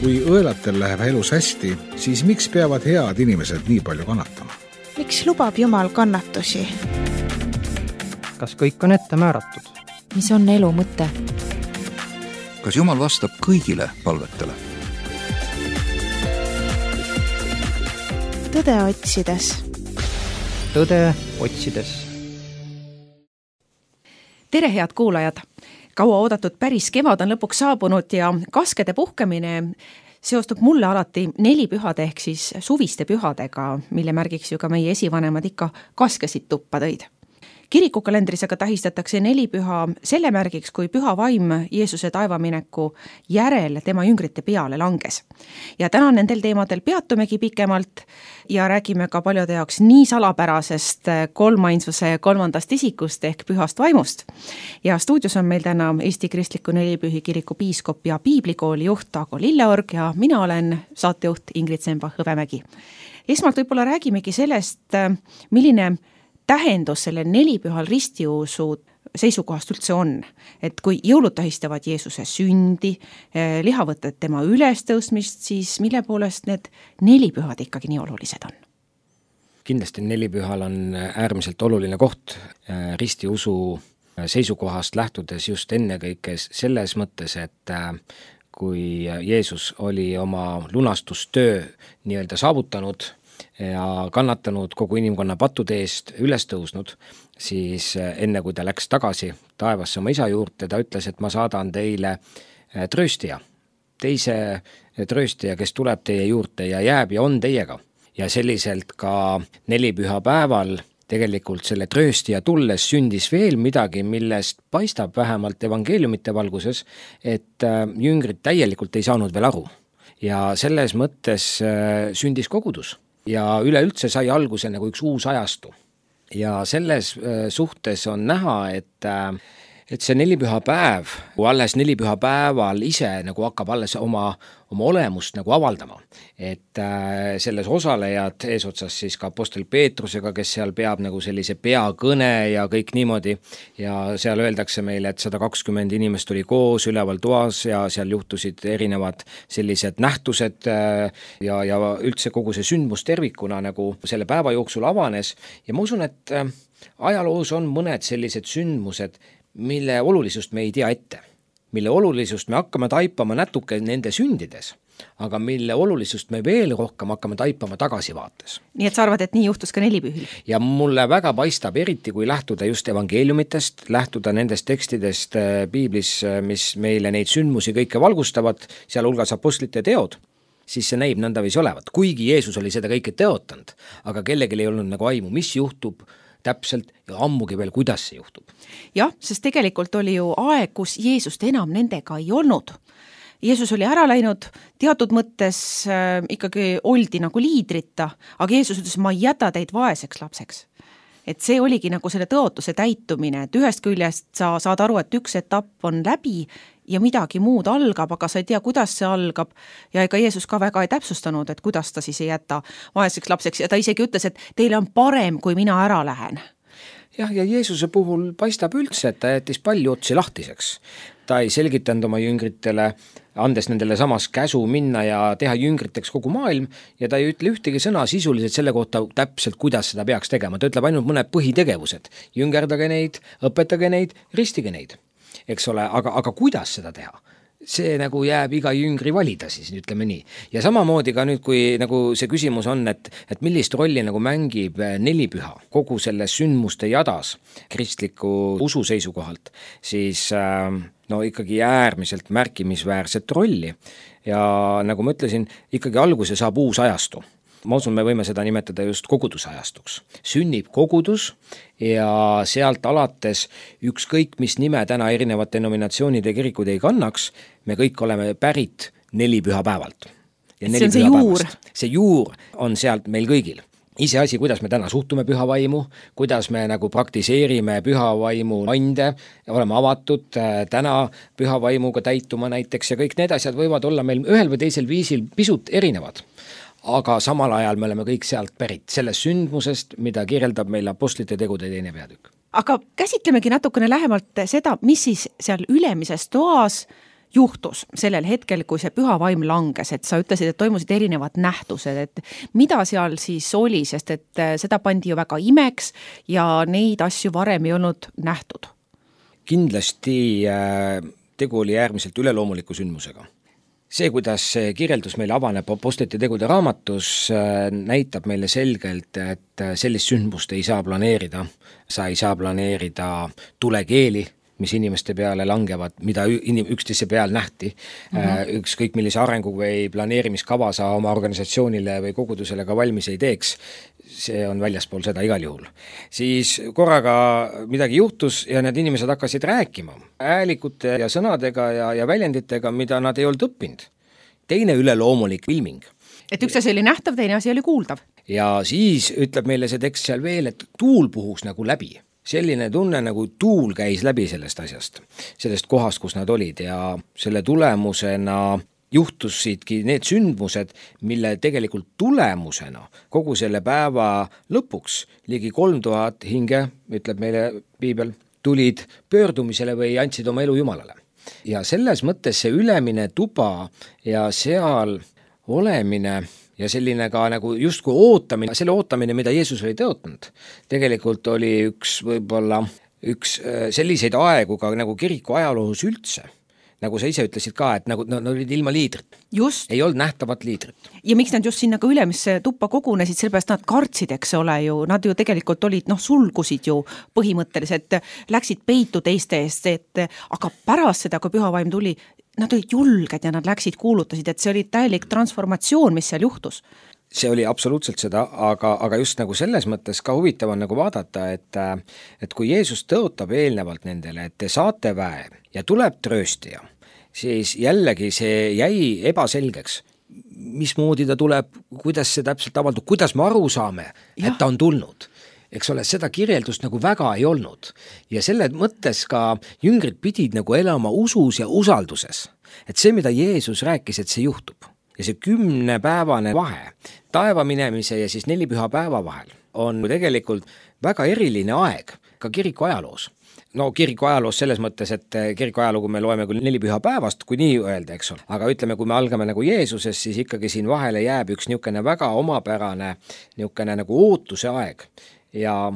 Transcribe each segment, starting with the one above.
Kui õelatel läheb elus hästi, siis miks peavad head inimesed nii palju kannatama? Miks lubab Jumal kannatusi? Kas kõik on ette määratud? Mis on elu mõte? Kas Jumal vastab kõigile palvetele? Tõde otsides. Tõde otsides. Tere, head kuulajad! Kaua oodatud päris kevad on lõpuks saabunud ja kaskede puhkemine seostub mulle alati nelipühade ehk siis suviste pühadega, mille märgiks ju ka meie esivanemad ikka kaskesid tuppa tõid. Kirikukalendris aga tähistatakse nelipüha selle märgiks, kui püha vaim Jeesuse taevamineku järel tema jüngrite peale langes. Ja täna nendel teemadel peatumegi pikemalt ja räägime ka paljude jaoks nii salapärasest kolmainsuse kolmandast isikust ehk pühast vaimust. Ja stuudios on meil täna Eesti Kristliku Nelipühi Kiriku piiskop ja piiblikooli juht Ago Lilleorg ja mina olen saatejuht Ingrid Semba-Hõbemägi. Esmalt võib-olla räägimegi sellest, milline tähendus selle nelipühal ristiusu seisukohast üldse on, et kui jõulud tähistavad Jeesuse sündi, lihavõtted tema ülestõusmist, siis mille poolest need nelipühad ikkagi nii olulised on? Kindlasti nelipühal on äärmiselt oluline koht ristiusu seisukohast lähtudes just ennekõike selles mõttes, et kui Jeesus oli oma lunastustöö nii-öelda saavutanud ja kannatanud kogu inimkonna pattude eest üles tõusnud, siis enne kui ta läks tagasi taevasse oma isa juurde, ta ütles, et ma saadan teile trööstija, teise trööstija, kes tuleb teie juurde ja jääb ja on teiega. Ja selliselt ka nelipüha päeval tegelikult selle trööstija tulles sündis veel midagi, millest paistab vähemalt evangeeliumite valguses, et jüngrid täielikult ei saanud veel aru. Ja selles mõttes sündis kogudus. Ja üleüldse sai alguse nagu üks uus ajastu. Ja selles suhtes on näha, et see nelipüha päev, kui alles nelipüha päeval ise nagu hakkab alles oma olemust nagu avaldama. Et selles osalejad eesotsas siis ka apostel Peetrusega, kes seal peab nagu sellise peakõne ja kõik niimoodi. Ja seal öeldakse meile, et 120 inimest oli koos üleval toas ja seal juhtusid erinevad sellised nähtused ja üldse kogu see sündmus tervikuna nagu selle päeva jooksul avanes. Ja ma usun, et ajaloos on mõned sellised sündmused, mille olulisust me ei tea ette, mille olulisust me hakkame taipama natuke nende sündides, aga mille olulisust me veel rohkem hakkame taipama tagasivaates. Nii et sa arvad, et nii juhtus ka nelipühil? Ja mulle väga paistab eriti, kui lähtuda just evangeeliumitest, lähtuda nendest tekstidest piiblis, mis meile neid sündmusi kõike valgustavad, sealhulgas apostlite teod, siis see näib nõndaviisi olevat. Kuigi Jeesus oli seda kõike teotanud, aga kellelgi ei olnud nagu aimu, mis juhtub täpselt ja ammugi veel, kuidas see juhtub. Jah, sest tegelikult oli ju aeg, kus Jeesust enam nendega ei olnud. Jeesus oli ära läinud, teatud mõttes ikkagi oldi nagu liidrita, aga Jeesus ütles, ma ei jäta teid vaeseks lapseks. Et see oligi nagu selle tõotuse täitumine, et ühest küljest sa saad aru, et üks etapp on läbi ja midagi muud algab, aga sa ei tea, kuidas see algab ja ega Jeesus ka väga ei täpsustanud, et kuidas ta siis ei jäta vaeseks lapseks ja ta isegi ütles, et teile on parem, kui mina ära lähen. Ja Jeesuse puhul paistab üldse, et ta jättis palju otsi lahtiseks. Ta ei selgitanud oma jüngritele, andes nendele samas käsu minna ja teha jüngriteks kogu maailm ja ta ei ütle ühtegi sõna sisuliselt selle kohta täpselt, kuidas seda peaks tegema. Ta ütleb ainult mõned põhitegevused. Jüngerdage neid, õpetage neid, ristige neid. Eks ole, aga kuidas seda teha? See nagu jääb iga jüngri valida siis, ütleme nii. Ja samamoodi ka nüüd, kui nagu see küsimus on, et millist rolli nagu mängib nelipüha kogu selle sündmuste jadas kristliku usu seisukohalt, siis ikkagi äärmiselt märkimisväärset rolli. Ja nagu ma ütlesin, ikkagi alguse saab uus ajastu. Ma usun, me võime seda nimetada just kogudusajastuks. Sünnib kogudus ja sealt alates ükskõik mis nime täna erinevad denominatsioonide kirikud ei kannaks, me kõik oleme pärit nelipüha päevalt. Ja see on see juur. See juur on sealt meil kõigil. Iseasi, kuidas me täna suhtume püha vaimu, kuidas me nagu praktiseerime püha vaimu ande, oleme avatud täna püha vaimuga täituma näiteks ja kõik need asjad võivad olla meil ühel või teisel viisil pisut erinevad. Aga samal ajal me oleme kõik sealt pärit, sellest sündmusest, mida kirjeldab meil apostlite tegude 2. peatükk. Aga käsitlemegi natukene lähemalt seda, mis siis seal ülemises toas juhtus sellel hetkel, kui see püha vaim langes, et sa ütlesid, et toimusid erinevad nähtused, et mida seal siis oli, sest et seda pandi ju väga imeks ja neid asju varem ei olnud nähtud? Kindlasti tegu oli äärmiselt üleloomuliku sündmusega. See, kuidas see kirjeldus meile avaneb Apostlite tegude raamatus, näitab meile selgelt, et sellist sündmust ei saa planeerida. Sa ei saa planeerida tulekeeli, mis inimeste peale langevad, mida üksteise peal nähti. Ükskõik millise arengu või planeerimiskava sa oma organisatsioonile või kogudusele ka valmis ei teeks, see on väljaspool seda igal juhul. Siis korraga midagi juhtus ja need inimesed hakkasid rääkima häälikute ja sõnadega ja väljenditega, mida nad ei olnud õppinud. Teine üleloomulik ilming. Et üks asi oli nähtav, teine asi oli kuuldav. Ja siis ütleb meile see tekst seal veel, et tuul puhus nagu läbi. Selline tunne, nagu tuul käis läbi sellest asjast, sellest kohast, kus nad olid ja selle tulemusena juhtusidki need sündmused, mille tegelikult tulemusena kogu selle päeva lõpuks ligi 3000 hinge, ütleb meile Piibel, tulid pöördumisele või andsid oma elu Jumalale. Ja selles mõttes see ülemine tuba ja seal olemine ja selline ka nagu justkui ootamine, selle ootamine, mida Jeesus oli tõotanud, tegelikult oli üks selliseid aegu ka nagu kiriku ajaloos üldse. Nagu sa ise ütlesid ka, et nagu nad olid ilma liidrit. Just. Ei olnud nähtavat liidrit. Ja miks nad just sinna ka ülemisse tuppa kogunesid, sellepärast nad kartsid, eks ole ju, nad ju tegelikult olid, sulgusid ju põhimõtteliselt, läksid peitu teiste eest, aga pärast seda, kui püha vaim tuli, nad olid julged ja nad läksid, kuulutasid, et see oli täielik transformatsioon, mis seal juhtus. See oli absoluutselt seda, aga just nagu selles mõttes ka huvitav on nagu vaadata, et kui Jeesus tõotab eelnevalt nendele, et te saate väe ja tuleb trööstija, siis jällegi see jäi ebaselgeks, mismoodi ta tuleb, kuidas see täpselt avaldub, kuidas me aru saame, et ta on tulnud. Eks ole, seda kirjeldust nagu väga ei olnud. Ja selle mõttes ka jüngrid pidid nagu elama usus ja usalduses. Et see, mida Jeesus rääkis, et see juhtub. Ja see 10-päevane vahe taeva minemise ja siis 4 püha päeva vahel on tegelikult väga eriline aeg ka kiriku ajaloos. No kiriku ajaloos selles mõttes, et kiriku ajalugu me loeme küll 4 püha päevast, kui nii öelda, eks ole. Aga ütleme, kui me algame nagu Jeesuses, siis ikkagi siin vahele jääb üks niisugune väga omapärane niisugune nagu ootuse aeg. Ja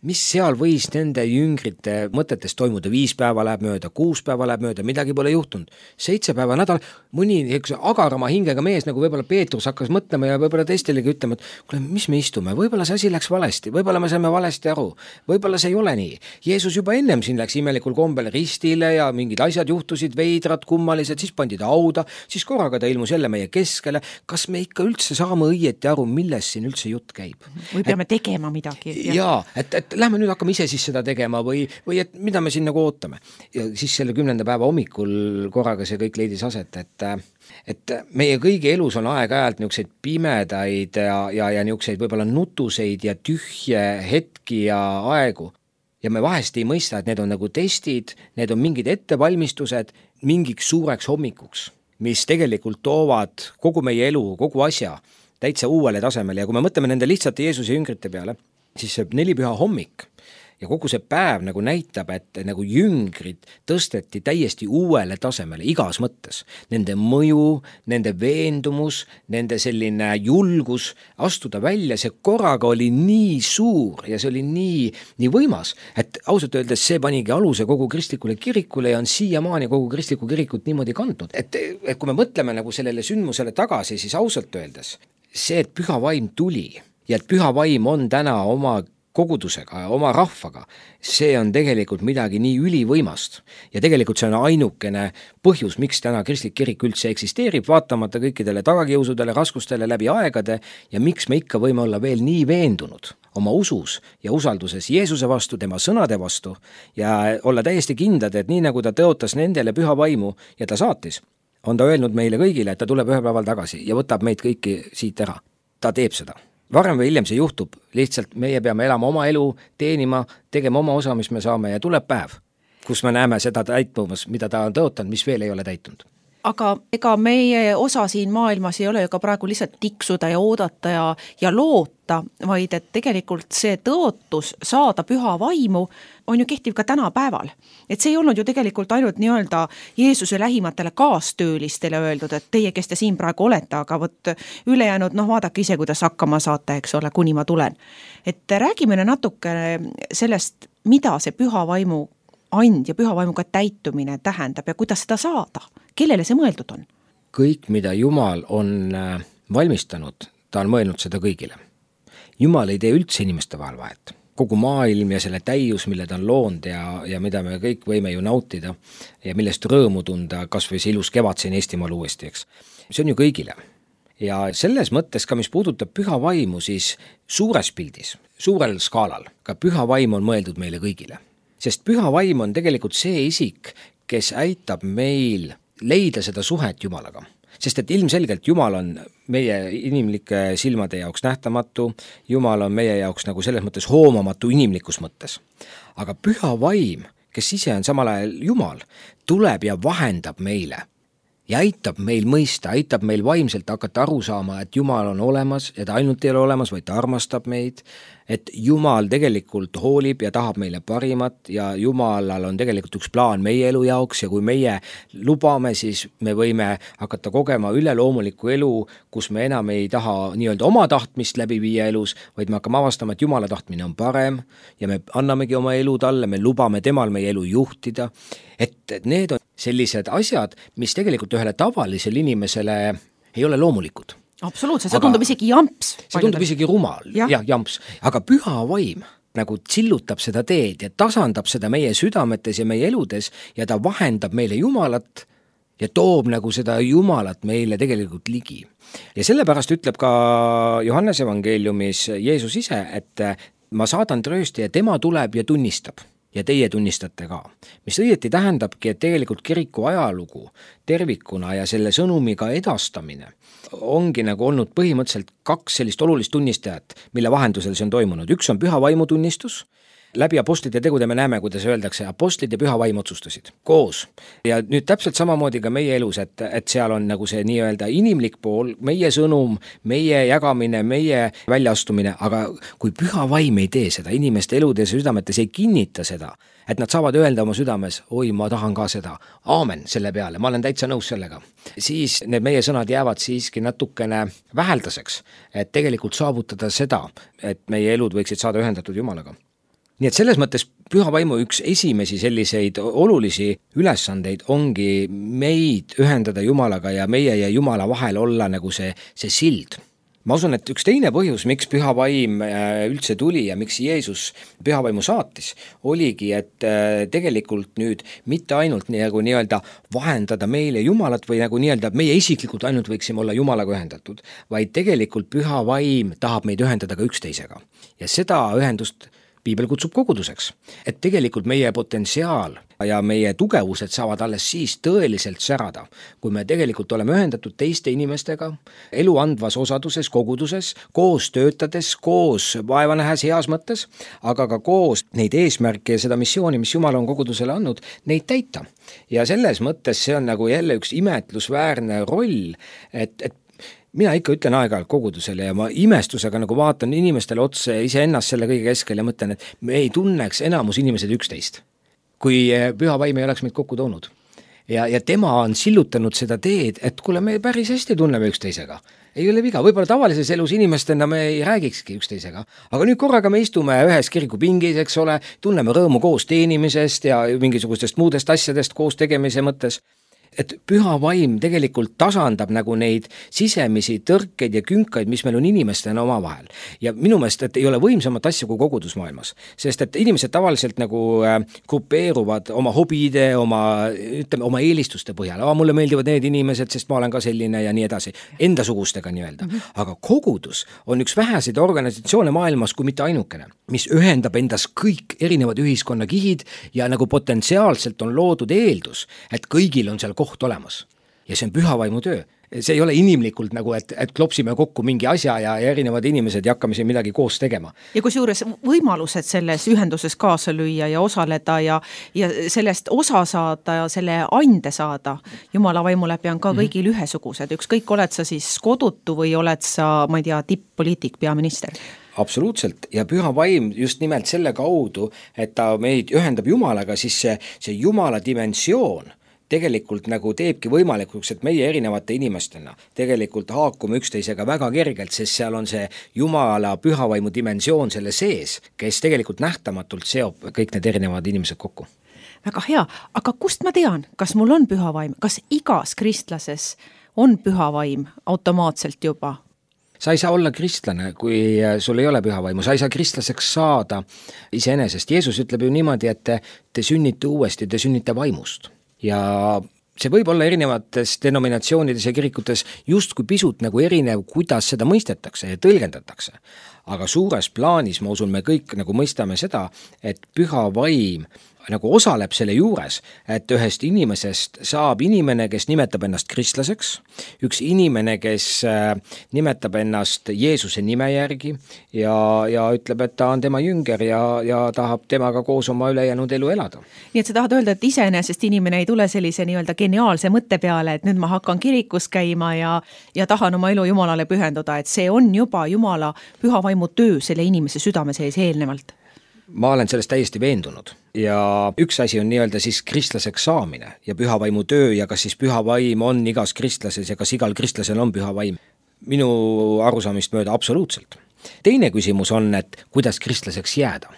mis seal võis nende jüngrite mõtetes toimuda, 5 päeva läheb mööda, 6 päeva läheb mööda, midagi pole juhtunud, 7 päeva nädal, mõni agarama hingega mees, nagu võib-olla Peetrus hakkas mõtlema ja võib-olla teistelegi ütlema, et kuule, mis me istume, võib-olla see asi läks valesti, võib-olla me saime valesti aru, võib-olla see ei ole nii. Jeesus juba ennem siin läks imelikul kombel ristile ja mingid asjad juhtusid, veidrad, kummalised, siis pandi ta hauda, siis korraga ta ilmus jälle meie keskele. Kas me ikka üldse saame õieti aru, milles siin üldse jutt käib? Või peame tegema midagi? Jaa, et lähme nüüd hakkame ise siis seda tegema või et mida me siin nagu ootame. Ja siis selle 10. päeva hommikul korraga see kõik leidis aset, et meie kõigi elus on aeg-ajalt niisuguseid pimedaid ja niisuguseid võib-olla nutuseid ja tühje hetki ja aegu. Ja me vahest ei mõista, et need on nagu testid, need on mingid ettevalmistused mingiks suureks hommikuks, mis tegelikult toovad kogu meie elu, kogu asja täitsa uuele tasemele. Ja kui me mõtleme nende lihtsate Jeesuse jüngrite peale, siis see 4 püha hommik ja kogu see päev nagu näitab, et nagu jüngrid tõsteti täiesti uuele tasemele igas mõttes. Nende mõju, nende veendumus, nende selline julgus astuda välja, see korraga oli nii suur ja see oli nii võimas, et ausalt öeldes see panigi aluse kogu kristlikule kirikule ja on siiamaani kogu kristlikku kirikut niimoodi kandnud. Et kui me mõtleme nagu sellele sündmusele tagasi, siis ausalt öeldes see, et püha vaim tuli ja et püha vaim on täna oma kogudusega ja oma rahvaga, see on tegelikult midagi nii ülivõimast. Ja tegelikult see on ainukene põhjus, miks täna kristlik kirik üldse eksisteerib, vaatamata kõikidele tagakiusudele, raskustele läbi aegade ja miks me ikka võime olla veel nii veendunud oma usus ja usalduses Jeesuse vastu, tema sõnade vastu ja olla täiesti kindlad, et nii nagu ta tõotas nendele püha vaimu ja ta saatis, on ta öelnud meile kõigile, et ta tuleb ühe päeval tagasi ja võtab meid kõiki siit ära. Ta teeb seda. Varem või hiljem see juhtub, lihtsalt meie peame elama oma elu, teenima, tegema oma osa, mis me saame ja tuleb päev, kus me näeme seda täitumas, mida ta on tõotanud, mis veel ei ole täitunud. aga ega meie osa siin maailmas ei ole ju ka praegu lihtsalt tiksuda ja oodata ja loota, vaid et tegelikult see tõotus saada püha vaimu on ju kehtiv ka tänapäeval. Et see ei olnud ju tegelikult ainult nii-öelda Jeesuse lähimatele kaastöölistele öeldud, et teie, kes te siin praegu olete, aga võt ülejäänud, vaadake ise, kuidas hakkama saate, eks ole, kuni ma tulen. Et räägime natuke sellest, mida see püha vaimu and ja püha vaimuga täitumine tähendab ja kuidas seda saada? Kellele see mõeldud on? Kõik, mida Jumal on valmistanud, ta on mõelnud seda kõigile. Jumal ei tee üldse inimeste vahel vahet. Kogu maailm ja selle täius, mille ta on loonud ja mida me kõik võime ju nautida ja millest rõõmu tunda, kas või see ilus kevad siin Eestimaal uuesti, eks. See on ju kõigile. Ja selles mõttes ka, mis puudutab püha vaimu, siis suures pildis, suurel skaalal, ka püha vaim on mõeldud meile kõigile. Sest püha vaim on tegelikult see isik, kes aitab meil leida seda suhet Jumalaga. Sest et ilmselgelt Jumal on meie inimlike silmade jaoks nähtamatu, Jumal on meie jaoks nagu selles mõttes hoomamatu inimlikus mõttes. Aga püha vaim, kes ise on samal ajal Jumal, tuleb ja vahendab meile ja aitab meil mõista, aitab meil vaimselt hakata aru saama, et Jumal on olemas ja ta ainult ei ole olemas, vaid ta armastab meid, et Jumal tegelikult hoolib ja tahab meile parimat ja Jumalal on tegelikult üks plaan meie elu jaoks ja kui meie lubame, siis me võime hakata kogema üleloomulikku elu, kus me enam ei taha nii-öelda oma tahtmist läbi viia elus, vaid me hakkame avastama, et Jumala tahtmine on parem ja me annamegi oma elu talle, me lubame temal meie elu juhtida, et need on sellised asjad, mis tegelikult ühele tavalisele inimesele ei ole loomulikud. Absoluutselt, see tundub isegi jamps. See tundub isegi rumal, jah, jamps. Aga püha vaim nagu sillutab seda teed ja tasandab seda meie südametes ja meie eludes ja ta vahendab meile Jumalat ja toob nagu seda Jumalat meile tegelikult ligi. Ja sellepärast ütleb ka Johannese evangeeliumis Jeesus ise, et ma saadan tröösti ja tema tuleb ja tunnistab. Ja teie tunnistate ka, mis õieti tähendabki, et tegelikult kiriku ajalugu tervikuna ja selle sõnumiga edastamine ongi nagu olnud põhimõtteliselt 2 sellist olulist tunnistajat, mille vahendusel see on toimunud. Üks on püha vaimu tunnistus. Läbi apostlite tegude me näeme, kuidas öeldakse, apostlid ja püha vaim otsustasid koos. Ja nüüd täpselt samamoodi ka meie elus, et seal on nagu see nii-öelda inimlik pool, meie sõnum, meie jagamine, meie väljaastumine, aga kui püha vaim ei tee seda, inimeste eludes ja südametes ei kinnita seda, et nad saavad öelda oma südames, oi, ma tahan ka seda, aamen selle peale, ma olen täitsa nõus sellega, siis need meie sõnad jäävad siiski natukene väheldaseks, et tegelikult saavutada seda, et meie elud võiksid saada ühendatud Jumalaga. Nii et selles mõttes püha vaimu üks esimesi selliseid olulisi ülesandeid ongi meid ühendada Jumalaga ja meie ja Jumala vahel olla nagu see sild. Ma usun, et üks teine põhjus, miks püha vaim üldse tuli ja miks Jeesus püha vaimu saatis, oligi, et tegelikult nüüd mitte ainult nagu nii-öelda vahendada meile Jumalat või nagu nii-öelda meie isiklikult ainult võiksime olla Jumalaga ühendatud, vaid tegelikult püha vaim tahab meid ühendada ka üksteisega. Ja seda ühendust Piibel kutsub koguduseks, et tegelikult meie potentsiaal ja meie tugevused saavad alles siis tõeliselt särada, kui me tegelikult oleme ühendatud teiste inimestega, elu andvas osaduses, koguduses, koos töötades, koos vaeva nähes heas mõttes, aga ka koos neid eesmärke ja seda missiooni, mis Jumal on kogudusele andnud, neid täita. Ja selles mõttes see on nagu jälle üks imetlusväärne roll, et mina ikka ütlen aeg-ajalt kogudusele ja ma imestusega nagu vaatan inimestele otsa ja iseennast selle kõige keskel ja mõtlen, et me ei tunneks enamus inimesed üksteist, kui püha vaim ei oleks meid kokku toonud. Ja tema on sillutanud seda teed, et kuule, me päris hästi tunneme üksteisega. Ei ole viga, võib-olla tavalises elus inimestena me ei räägikski üksteisega, aga nüüd korraga me istume ühes kirikupingis, eks ole, tunneme rõõmu koos teenimisest ja mingisugustest muudest asjadest koos tegemise mõttes. Et püha vaim tegelikult tasandab nagu neid sisemisi tõrkeid ja künkaid, mis meil on inimestena oma vahel. Ja minu meelest, et ei ole võimsamat asja kui kogudusmaailmas, sest et inimesed tavaliselt nagu grupeeruvad oma hobide, oma eelistuste põhjal. Mulle meeldivad need inimesed, sest ma olen ka selline ja nii edasi, endasugustega nii-öelda. Aga kogudus on üks väheseid organisatsioone maailmas kui mitte ainukene, mis ühendab endas kõik erinevad ühiskonnakihid ja nagu potentsiaalselt on loodud eeldus, et kõigil on seal koht olemas. Ja see on püha vaimu töö, see ei ole inimlikult nagu, et klopsime kokku mingi asja ja erinevad inimesed ja hakkame siin midagi koos tegema. Ja kusjuures võimalused selles ühenduses kaasa lüüa ja osaleda ja sellest osa saada ja selle ande saada Jumala vaimu läbi on ka kõigil ühesugused. Ükskõik, oled sa siis kodutu või oled sa, ma ei tea, tipp-poliitik, peaminister? Absoluutselt, ja püha vaim just nimelt selle kaudu, et ta meid ühendab Jumalaga, siis see Jumala dimensioon tegelikult nagu teebki võimalikuks, et meie erinevate inimestena tegelikult haakume üksteisega väga kergelt, sest seal on see Jumala pühavaimu dimensioon selle sees, kes tegelikult nähtamatult seob kõik need erinevad inimesed kokku. Väga hea, aga kust ma tean, kas mul on pühavaim, kas igas kristlases on pühavaim automaatselt juba? Sa ei saa olla kristlane, kui sul ei ole pühavaimu, sa ei saa kristlaseks saada iseenesest. Jeesus ütleb ju niimoodi, et te sünnite uuesti, te sünnite vaimust. Ja see võib olla erinevates denominatsioonides ja kirikutes justkui pisut nagu erinev, kuidas seda mõistetakse ja tõlgendatakse. Aga suures plaanis, ma usun, me kõik nagu mõistame seda, et püha vaim nagu osaleb selle juures, et ühest inimesest saab inimene, kes nimetab ennast kristlaseks, üks inimene, kes nimetab ennast Jeesuse nime järgi ja ütleb, et ta on tema jünger ja tahab temaga koos oma ülejäänud elu elada. Nii et sa tahad öelda, et iseenesest inimene ei tule sellise nii-öelda geniaalse mõtte peale, et nüüd ma hakkan kirikus käima ja tahan oma elu Jumalale pühenduda, et see on juba Jumala pühavaimu töö selle inimese südame sees eelnevalt. Ma olen sellest täiesti veendunud ja üks asi on nii-öelda siis kristlaseks saamine ja pühavaimu töö ja kas siis pühavaim on igas kristlases ja kas igal kristlasel on pühavaim. Minu arusaamist mööda absoluutselt. Teine küsimus on, et kuidas kristlaseks jääda.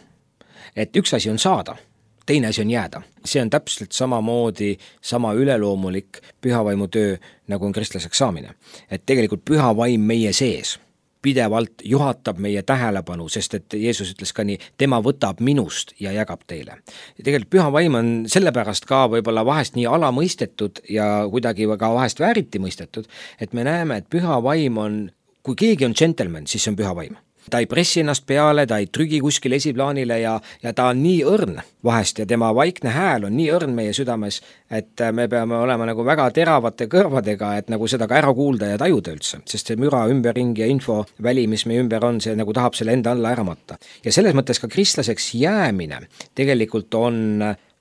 Et üks asi on saada, teine asi on jääda. See on täpselt samamoodi sama üleloomulik pühavaimu töö, nagu on kristlaseks saamine. Et tegelikult pühavaim meie sees pidevalt juhatab meie tähelepanu, sest et Jeesus ütles ka nii, tema võtab minust ja jagab teile. Ja tegelikult pühavaim on sellepärast ka võib-olla vahest nii alamõistetud ja kuidagi ka vahest vääriti mõistetud, et me näeme, et pühavaim on, kui keegi on džentelmen, siis see on pühavaim. Ta ei pressi ennast peale, ta ei trügi kuskil esiplaanile ja ta on nii õrn vahest ja tema vaikne hääl on nii õrn meie südames, et me peame olema nagu väga teravate kõrvadega, et nagu seda ka ära kuulda ja tajuda üldse, sest see müra ümberringi ja infoväli, mis meie ümber on, see nagu tahab selle enda alla ära matta. Ja selles mõttes ka kristlaseks jäämine tegelikult on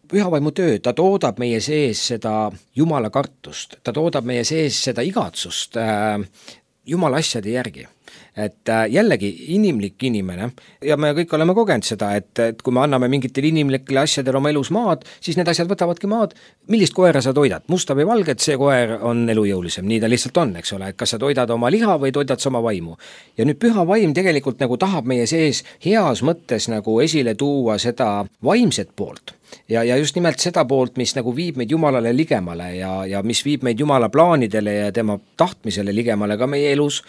pühavaimu töö, ta toodab meie sees seda Jumala kartust, ta toodab meie sees seda igatsust Jumala asjade järgi. Et jällegi inimlik inimene ja me kõik oleme kogenud seda, et kui me anname mingitel inimlikele asjadel oma elus maad, siis need asjad võtavadki maad. Millist koera sa toidad? Musta või valget, see koer on elujõulisem, nii ta lihtsalt on, eks ole, et kas sa toidad oma liha või toidad sa oma vaimu. Ja nüüd püha vaim tegelikult nagu tahab meie sees heas mõttes nagu esile tuua seda vaimset poolt. Ja just nimelt seda poolt, mis nagu viib meid Jumalale ligemale ja mis viib meid Jumala plaanidele ja tema tahtmisele ligemale ka meie elus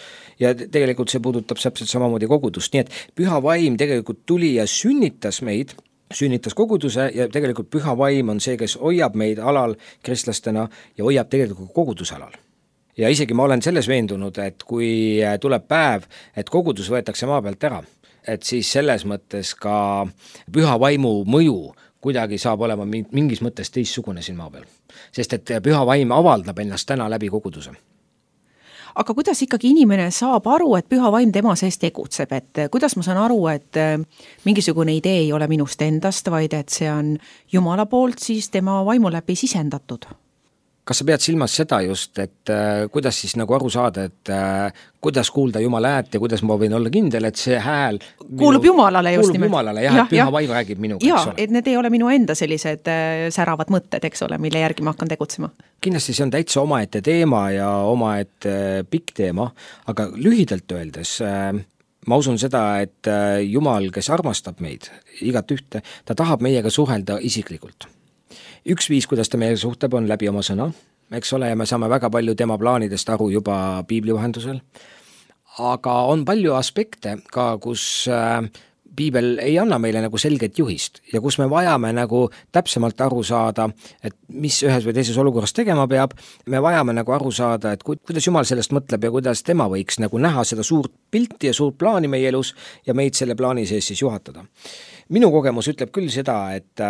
ja tegelikult see puudutab täpselt samamoodi kogudust, nii et püha vaim tegelikult tuli ja sünnitas meid, sünnitas koguduse ja tegelikult püha vaim on see, kes hoiab meid alal kristlastena ja hoiab tegelikult koguduse alal. Ja isegi ma olen selles veendunud, et kui tuleb päev, et kogudus võetakse maa pealt ära, et siis selles mõttes ka püha vaimu mõju kuidagi saab olema mingis mõttes teistsugune siin maa peal. Sest et püha vaim avaldab ennast täna läbi koguduse. Aga kuidas ikkagi inimene saab aru, et püha vaim tema sees tegutseb, et kuidas ma saan aru, et mingisugune idee ei ole minust endast, vaid et see on Jumala poolt siis tema vaimu läbi sisendatud? Kas sa pead silmas seda just, et kuidas siis nagu aru saada, et kuidas kuulda Jumala häält ja kuidas ma võin olla kindel, et see hääl kuulub Jumalale just nimelt. Kuulub Jumalale, jah, et püha vaim räägib minuga, eks ole. Et need ei ole minu enda sellised säravad mõtted, eks ole, mille järgi ma hakkan tegutsema. Kindlasti see on täitsa omaette teema ja omaette pikk teema, aga lühidalt öeldes ma usun seda, et Jumal, kes armastab meid igat ühte, ta tahab meiega suhelda isiklikult. Üks viis, kuidas ta meie suhtleb, on läbi oma sõna, eks ole, ja me saame väga palju tema plaanidest aru juba piibli vahendusel, aga on palju aspekte ka, kus piibel ei anna meile nagu selget juhist ja kus me vajame nagu täpsemalt aru saada, et mis ühes või teises olukorras tegema peab, me vajame nagu aru saada, et kuidas Jumal sellest mõtleb ja kuidas tema võiks nagu näha seda suurt pilti ja suurt plaani meie elus ja meid selle plaani sees siis juhatada. Minu kogemus ütleb küll seda, et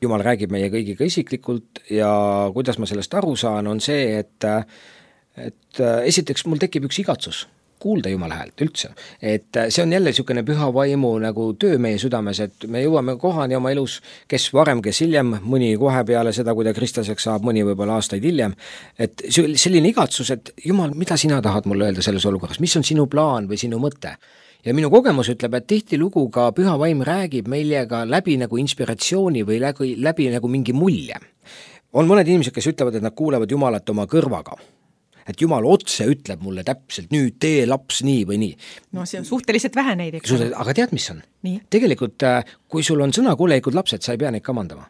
Jumal räägib meie kõigiga isiklikult ja kuidas ma sellest aru saan, on see, et et esiteks mul tekib üks igatsus kuulda Jumala häält üldse. Et see on jälle niisugune püha vaimu nagu töö meie südames, et me jõuame kohani oma elus, kes varem, kes hiljem, mõni kohe peale seda, kui ta kristlaseks saab, mõni võib-olla aastaid hiljem. Et selline igatsus, et Jumal, mida sina tahad mulle öelda selles olukorras, mis on sinu plaan või sinu mõte? Ja minu kogemus ütleb, et tihtilugu ka püha vaim räägib meiega läbi nagu inspiratsiooni või läbi nagu mingi mulje. On mõned inimesed, kes ütlevad, et nad kuulevad Jumalat oma kõrvaga. Et Jumal otse ütleb mulle täpselt, nüüd tee laps nii või nii. No see on suhteliselt vähe neid. Aga tead, mis on? Nii? Tegelikult, kui sul on sõnakuulelikud lapsed, sa ei pea neid kamandama.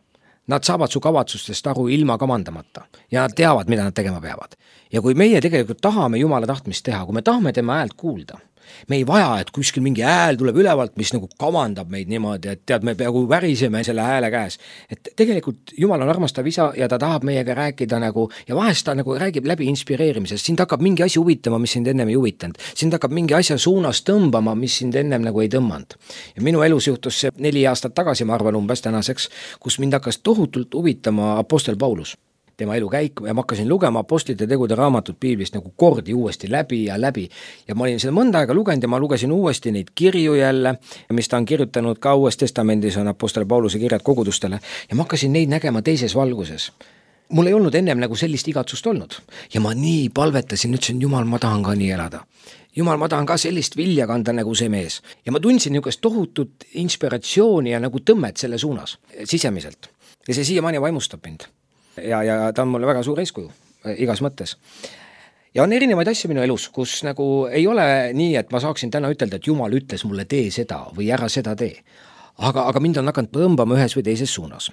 Nad saavad su kavatsustest aru ilma kamandamata ja nad teavad, mida nad tegema peavad. Ja kui meie tegelikult tahame Jumala tahtmist teha, kui me tahame tema häält kuulda, me ei vaja, et kuskil mingi hääl tuleb ülevalt, mis nagu kamandab meid niimoodi, et tead, me peaaegu väriseme selle hääle käes. Et tegelikult Jumal on armastav isa ja ta tahab meiega rääkida nagu, ja vahest ta nagu räägib läbi inspireerimisest. Sind hakkab mingi asi huvitama, mis sind ennem ei huvitanud. Sind hakkab mingi asja suunas tõmbama, mis sind ennem nagu ei tõmmanud. Ja minu elus juhtus see 4 aastat tagasi, ma arvan umbes tänaseks, kus mind hakkas tohutult huvitama apostel Paulus. Tema elu käik ja ma hakkasin lugema apostlite tegude raamatut piiblist nagu kordi uuesti läbi ja läbi. Ja ma olin seda mõnda aega lugenud ja ma lugesin uuesti neid kirju jälle, mis ta on kirjutanud ka Uues Testamendis on apostel Pauluse kirjad kogudustele ja ma hakkasin neid nägema teises valguses. Mul ei olnud ennem nagu sellist igatsust olnud ja ma nii palvetasin, ütlesin, Jumal, ma tahan ka nii elada. Jumal, ma tahan ka sellist vilja kanda nagu see mees. Ja ma tundsin niisugust tohutut inspiratsiooni ja nagu tõmmet selle suunas sisemiselt. Ja see siiamaani vaimustab mind. Ja ta on mulle väga suur eeskuju igas mõttes. Ja on erinevaid asju minu elus, kus nagu ei ole nii, et ma saaksin täna ütelda, et Jumal ütles mulle tee seda või ära seda tee. Aga mind on hakanud tõmbama ühes või teises suunas.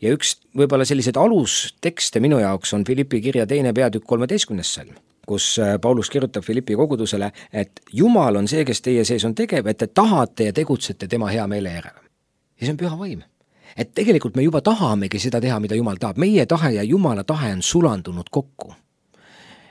Ja üks võib-olla sellised alustekste minu jaoks on Filippi kirja 2. peatükk 13. salm, kus Paulus kirjutab Filippi kogudusele, et Jumal on see, kes teie sees on tegev, et te tahate ja tegutsete tema hea meele järele. Ja see on püha vaim. Et tegelikult me juba tahamegi seda teha, mida Jumal tahab. Meie tahe ja Jumala tahe on sulandunud kokku.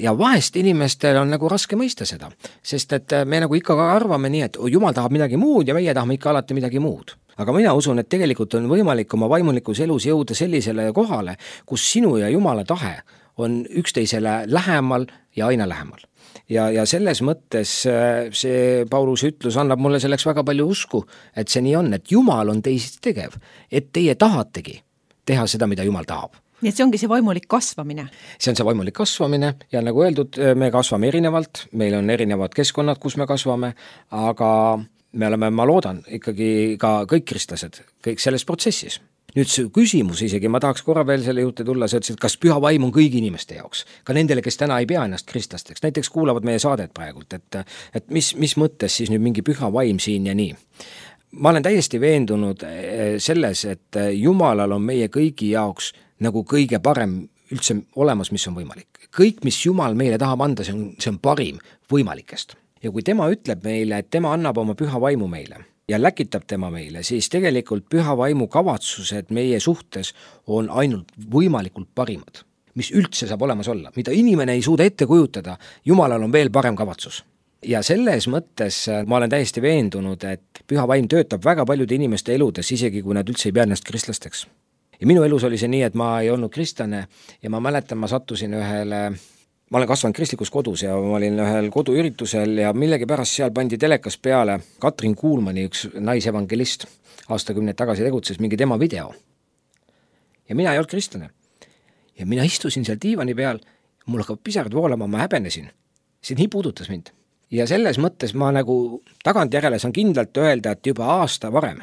Ja vahest inimestel on nagu raske mõista seda, sest et me nagu ikka arvame nii, et Jumal tahab midagi muud ja meie tahame ikka alati midagi muud. Aga mina usun, et tegelikult on võimalik oma vaimulikus elus jõuda sellisele kohale, kus sinu ja Jumala tahe on üksteisele lähemal ja aina lähemal. Ja selles mõttes see Pauluse ütlus annab mulle selleks väga palju usku, et see nii on, et Jumal on teist tegev, et teie tahategi teha seda, mida Jumal tahab. Nii et see ongi see vaimulik kasvamine. See on see vaimulik kasvamine ja nagu öeldud, me kasvame erinevalt, meil on erinevad keskkonnad, kus me kasvame, aga me oleme, ma loodan, ikkagi ka kõik kristlased, kõik selles protsessis. Nüüd see küsimus isegi, ma tahaks korra veel selle juurde tulla, sa ütlesid, kas püha vaim on kõigi inimeste jaoks, ka nendele, kes täna ei pea ennast kristlasteks, näiteks kuulavad meie saadet praegult, et mis mõttes siis nüüd mingi püha vaim siin ja nii. Ma olen täiesti veendunud selles, et Jumalal on meie kõigi jaoks nagu kõige parem üldse olemas, mis on võimalik. Kõik, mis Jumal meile tahab anda, see on parim võimalikest. Ja kui tema ütleb meile, et tema annab oma püha vaimu meile ja läkitab tema meile, siis tegelikult püha vaimu kavatsused meie suhtes on ainult võimalikult parimad, mis üldse saab olemas olla, mida inimene ei suuda ette kujutada, Jumalal on veel parem kavatsus. Ja selles mõttes ma olen täiesti veendunud, et püha vaim töötab väga paljude inimeste eludes, isegi kui nad üldse ei pea ennast kristlasteks. Ja minu elus oli see nii, et ma ei olnud kristlane ja ma mäletan, ma sattusin ma olen kasvanud kristlikus kodus ja ma olin ühel koduüritusel ja millegi pärast seal pandi telekas peale Katrin Kuulmani, üks naisevangelist, aastakümneid tagasi tegutses mingi tema video. Ja mina ei olnud kristlane. Ja mina istusin seal diivani peal, mul hakkab pisarad voolama, ma häbenesin. See nii puudutas mind. Ja selles mõttes ma nagu tagantjärele saan kindlalt öelda, et juba aasta varem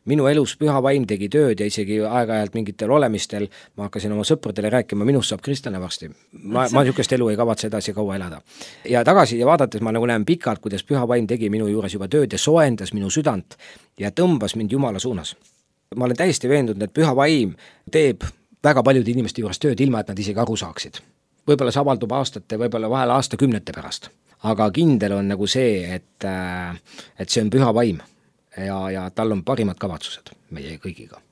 minu elus püha vaim tegi tööd ja isegi aeg-ajalt mingitel olemistel ma hakkasin oma sõpradele rääkima, minust saab kristlane varsti. Ma niisugust elu ei kavatse edasi kaua elada. Ja tagasi ja vaadates ma nagu näen pikalt, kuidas püha vaim tegi minu juures juba tööd ja soojendas minu südant ja tõmbas mind Jumala suunas. Ma olen täiesti veendunud, et püha vaim teeb väga paljude inimeste juures tööd, ilma et nad isegi aru saaksid. Võib-olla see avaldub aastate, võib-olla vahel aastakümnete pärast. Aga kindel on nagu see, et see on püha vaim. Ja tal on parimad kavatsused meie kõigiga.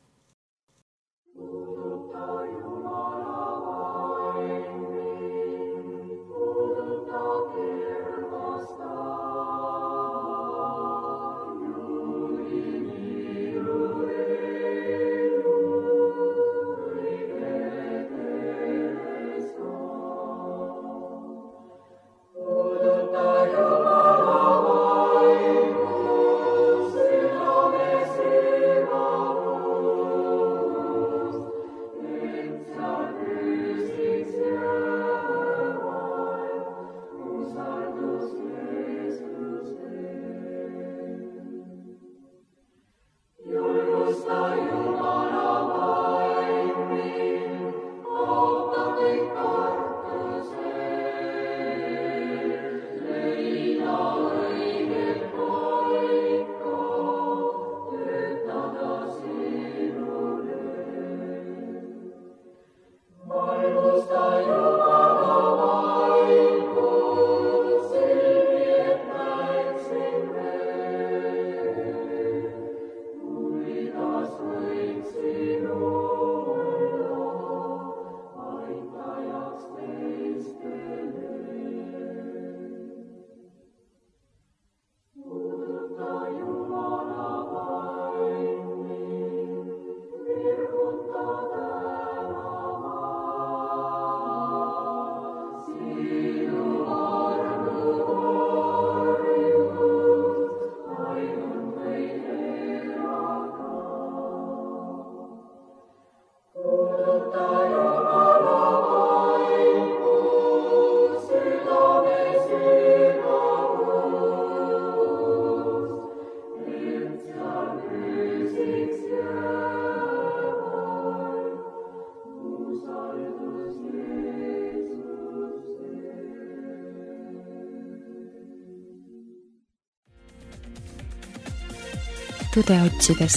Tõde otsides.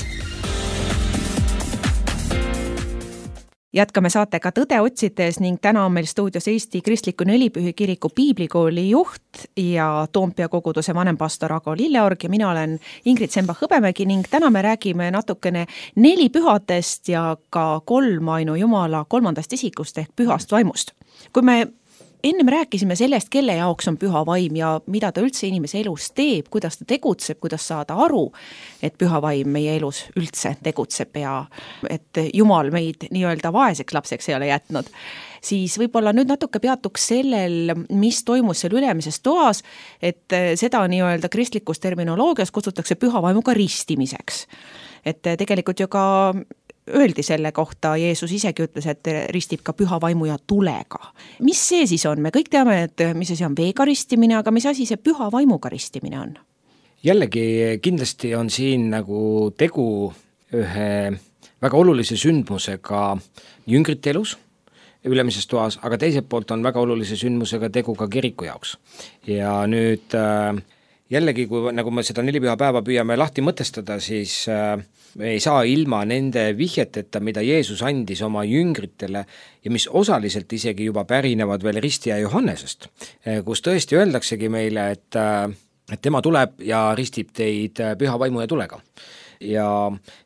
Jätkame saatega Tõde otsides ning täna on meil stuudios Eesti Kristliku Nelipühi Kiriku piiblikooli juht ja Toompea koguduse vanempastor Ago Lilleorg ja mina olen Ingrid Sembach-Hõbemägi ning täna me räägime natukene nelipühadest ja ka kolmainu Jumala kolmandast isikust ehk pühast vaimust. Kui me ennem rääkisime sellest, kelle jaoks on püha vaim ja mida ta üldse inimese elus teeb, kuidas ta tegutseb, kuidas saada aru, et püha vaim meie elus üldse tegutseb ja et Jumal meid nii-öelda vaeseks lapseks ei ole jätnud, siis võib-olla nüüd natuke peatuks sellel, mis toimus seal ülemises toas, et seda nii-öelda kristlikus terminoloogias kutsutakse püha vaimuga ristimiseks. Et tegelikult ju ka öeldi selle kohta, Jeesus isegi ütles, et ristib ka püha vaimu ja tulega. Mis see siis on? Me kõik teame, et mis asi on veega ristimine, aga mis asi see püha vaimuga ristimine on? Jällegi kindlasti on siin nagu tegu ühe väga olulise sündmusega jüngrite elus ülemises toas, aga teiselt poolt on väga olulise sündmusega tegu ka kiriku jaoks. Ja nüüd jällegi, kui nagu me seda nelipüha päeva püüame lahti mõtestada, siis me ei saa ilma nende vihjeteta, mida Jeesus andis oma jüngritele ja mis osaliselt isegi juba pärinevad veel ristija Johannesest, kus tõesti öeldaksegi meile, et tema tuleb ja ristib teid püha vaimu ja tulega. Ja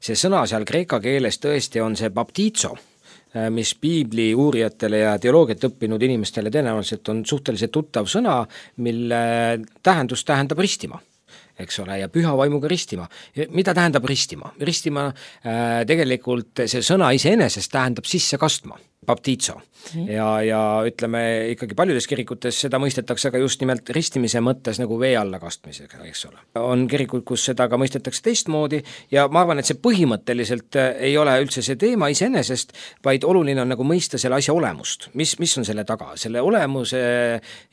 see sõna seal kreeka keeles tõesti on see baptizo, mis piibli uurijatele ja teoloogiat õppinud inimestele tõenäoliselt on suhteliselt tuttav sõna, mille tähendus tähendab ristima. Eks ole, ja püha vaimuga ristima. Mida tähendab ristima? Ristima tegelikult see sõna iseenesest tähendab sisse kastma, baptizo. Ja ütleme ikkagi paljudes kirikutes seda mõistetakse ka just nimelt ristimise mõttes nagu vee alla kastmisega, eks ole. On kirikud, kus seda ka mõistetakse teistmoodi ja ma arvan, et see põhimõtteliselt ei ole üldse see teema iseenesest, vaid oluline on nagu mõista selle asja olemust. Mis on selle taga? Selle olemuse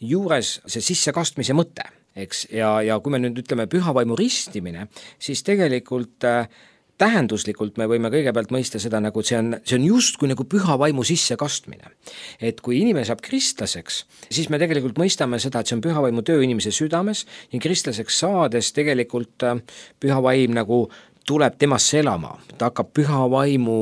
juures see sisse kastmise mõte. Eks? Ja kui me nüüd ütleme püha vaimu ristimine, siis tegelikult tähenduslikult me võime kõigepealt mõista seda, nagu see on just kui nagu püha vaimu sisse kastmine. Et kui inimene saab kristlaseks, siis me tegelikult mõistame seda, et see on püha vaimu töö inimese südames ja kristlaseks saades tegelikult püha vaim nagu tuleb temasse elama. Ta hakkab püha vaimu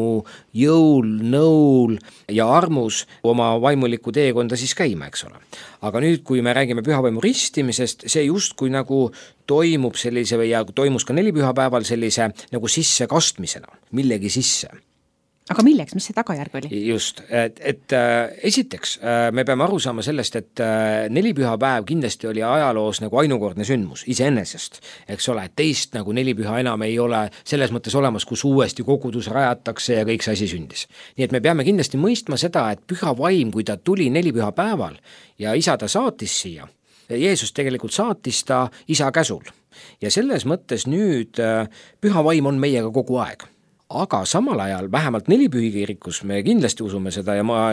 jõul, nõul ja armus oma vaimuliku teekonda siis käima, eks ole. Aga nüüd, kui me räägime püha vaimu ristimisest, see just kui nagu toimub sellise ja toimus ka nelipühapäeval sellise nagu sisse kastmisena, millegi sisse. Aga milleks, mis see tagajärg oli? Just, et esiteks me peame aru saama sellest, et nelipühapäev kindlasti oli ajaloos nagu ainukordne sündmus iseenesest, eks ole, et teist nagu nelipüha enam ei ole selles mõttes olemas, kus uuesti kogudus rajatakse ja kõik see asi sündis. Nii et me peame kindlasti mõistma seda, et püha vaim, kui ta tuli nelipühapäeval ja isa ta saatis siia, Jeesus tegelikult saatis ta isa käsul ja selles mõttes nüüd püha vaim on meiega kogu aeg. Aga samal ajal, vähemalt nelipühi kirikus, me kindlasti usume seda ja ma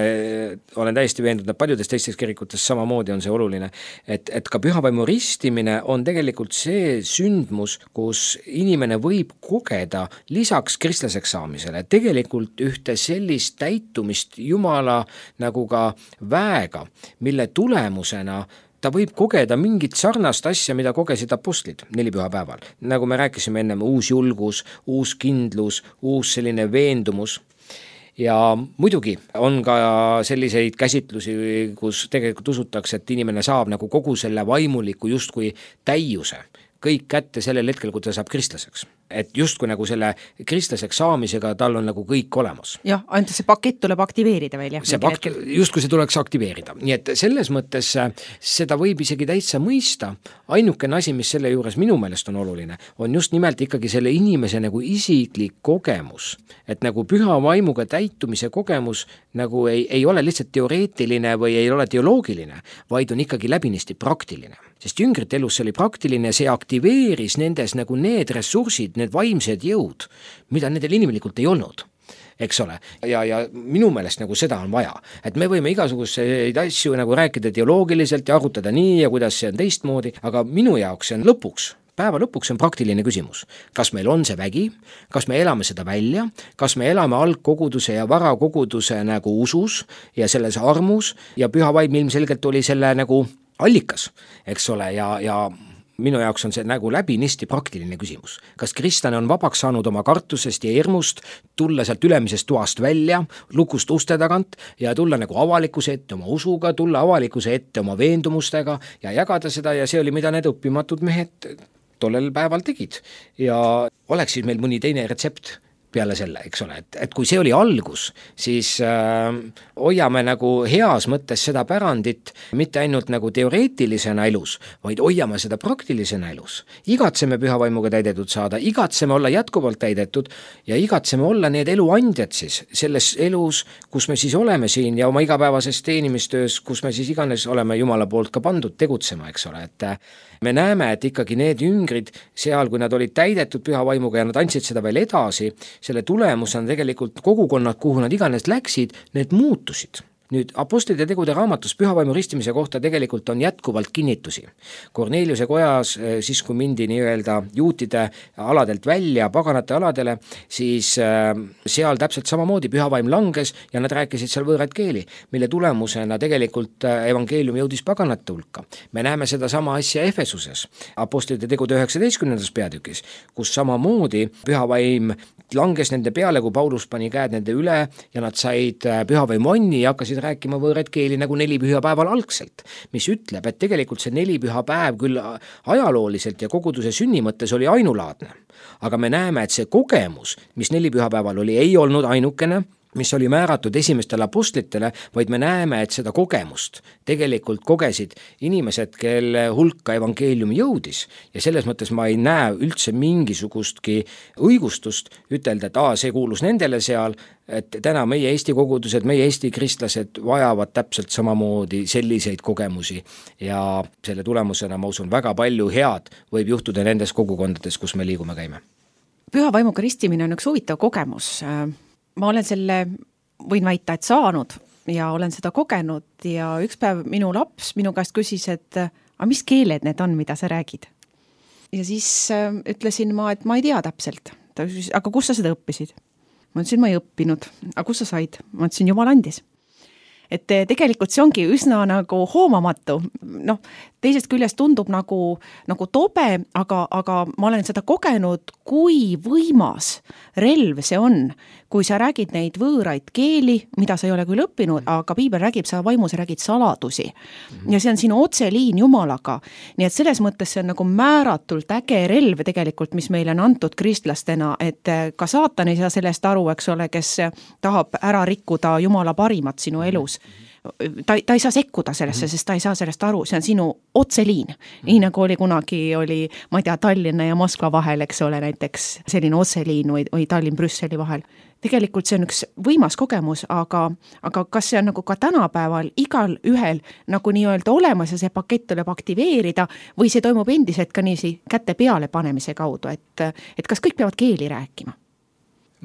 olen täiesti veendunud, et paljudes teistes kirikutes samamoodi on see oluline, et ka püha vaimu ristimine on tegelikult see sündmus, kus inimene võib kogeda lisaks kristlaseks saamisele tegelikult ühte sellist täitumist Jumala nagu ka väega, mille tulemusena ta võib kogeda mingit sarnast asja, mida kogesid apostlid nelipühapäeval. Nagu me rääkisime ennem, uus julgus, uus kindlus, uus selline veendumus. Ja muidugi on ka selliseid käsitlusi, kus tegelikult usutakse, et inimene saab nagu kogu selle vaimuliku justkui täiuse kõik kätte sellel hetkel, kui ta saab kristlaseks. Et justkui nagu selle kristlaseks saamisega tal on nagu kõik olemas. Jah, ainult see pakett tuleb aktiveerida veel. Justkui see tuleks aktiveerida. Nii et selles mõttes seda võib isegi täitsa mõista. Ainukene asi, mis selle juures minu meelest on oluline, on just nimelt ikkagi selle inimese nagu isiklik kogemus. Et nagu püha vaimuga täitumise kogemus nagu ei ole lihtsalt teoreetiline või ei ole teoloogiline, vaid on ikkagi läbinisti praktiline. Sest jüngrite elus see oli praktiline, see aktiveeris nendes nagu need ressursid, need vaimsed jõud, mida nendel inimelikult ei olnud, eks ole. Ja minu meelest nagu seda on vaja, et me võime igasuguseid asju nagu rääkida teoloogiliselt ja arutada nii ja kuidas see on teistmoodi, aga minu jaoks see on päeva lõpuks on praktiline küsimus. Kas meil on see vägi, kas me elame seda välja, kas me elame algkoguduse ja varakoguduse nagu usus ja selles armus ja püha vaim ilmselgelt oli selle nagu allikas, eks ole, ja minu jaoks on see nagu läbinisti praktiline küsimus. Kas kristlane on vabaks saanud oma kartusest ja hirmust, tulla sealt ülemisest toast välja, lukust uste tagant ja tulla nagu avalikkuse ette oma usuga, tulla avalikkuse ette oma veendumustega ja jagada seda ja see oli, mida need õppimatud mehed tollel päeval tegid. Ja oleks siis meil mõni teine retsept peale selle, eks ole, et kui see oli algus, siis hoiame nagu heas mõttes seda pärandit mitte ainult nagu teoreetilisena elus, vaid hoiame seda praktilisena elus. Igatseme pühavaimuga täidetud saada, igatseme olla jätkuvalt täidetud ja igatseme olla need eluandjad siis selles elus, kus me siis oleme siin ja oma igapäevases teenimistöös, kus me siis iganes oleme Jumala poolt ka pandud tegutsema, eks ole, et me näeme, et ikkagi need jüngrid seal, kui nad olid täidetud pühavaimuga ja nad andsid seda veel edasi, selle tulemusena tegelikult kogukonnad, kuhu nad iganes läksid, need muutusid. Nüüd apostlite tegude raamatus pühavaimu ristimise kohta tegelikult on jätkuvalt kinnitusi. Korneliuse kojas, siis kui mindi nii-öelda juutide aladelt välja paganate aladele, siis seal täpselt samamoodi pühavaim langes ja nad rääkisid seal võõraid keeli, mille tulemusena tegelikult evangeelium jõudis paganate hulka. Me näeme seda sama asja Efesuses, apostlite tegude 19. peatükis, kus samamoodi pühavaim langes nende peale, kui Paulus pani käed nende üle ja nad said pühavaimu anni ja hakkasid rääkima võõraid keeli nagu 4 pühapäeval algselt, mis ütleb, et tegelikult see 4 pühapäev küll ajalooliselt ja koguduse sünni mõttes oli ainulaadne. Aga me näeme, et see kogemus, mis 4 pühapäeval oli, ei olnud ainukene, mis oli määratud esimestele apostlitele, vaid me näeme, et seda kogemust tegelikult kogesid inimesed, kelle hulka evangeelium jõudis ja selles mõttes ma ei näe üldse mingisugustki õigustust ütelda, et see kuulus nendele seal, et täna meie Eesti kogudused, meie Eesti kristlased vajavad täpselt samamoodi selliseid kogemusi ja selle tulemusena ma usun väga palju head võib juhtuda nendes kogukondades, kus me liigume käime. Pühavaimuga ristimine on üks huvitav kogemus. Ma olen selle, võin väita, et saanud ja olen seda kogenud ja üks päev minu laps minu käest küsis, et mis keeled need on, mida sa räägid? Ja siis ütlesin ma, et ma ei tea täpselt. Ta küsis, aga kus sa seda õppisid? Ma ütlesin, ma ei õppinud. Aga kus sa said? Ma ütlesin, Jumal andis. Et tegelikult see ongi üsna nagu hoomamatu. Teisest küljest tundub nagu tobe, aga ma olen seda kogenud, kui võimas relv see on, kui sa räägid neid võõraid keeli, mida sa ei ole küll õppinud, aga piibel räägib, sa vaimus räägid saladusi. Ja see on sinu otseliin Jumalaga. Nii et selles mõttes see on nagu määratult äge relv tegelikult, mis meile on antud kristlastena, et ka saatan ei saa sellest aru, eks ole, kes tahab ära rikkuda Jumala parimat sinu elus. Ta ei saa sekkuda sellesse, sest ta ei saa sellest aru, see on sinu otseliin. Nii nagu oli kunagi, ma ei tea, Tallinna ja Moskva vahel, eks ole, näiteks selline otseliin või Tallinn-Brüsseli vahel. Tegelikult see on üks võimas kogemus, aga kas see on nagu ka tänapäeval igal ühel nagu nii-öelda olemas ja see pakett tuleb aktiveerida või see toimub endiselt ka niisi käte peale panemise kaudu, et kas kõik peavad keeli rääkima?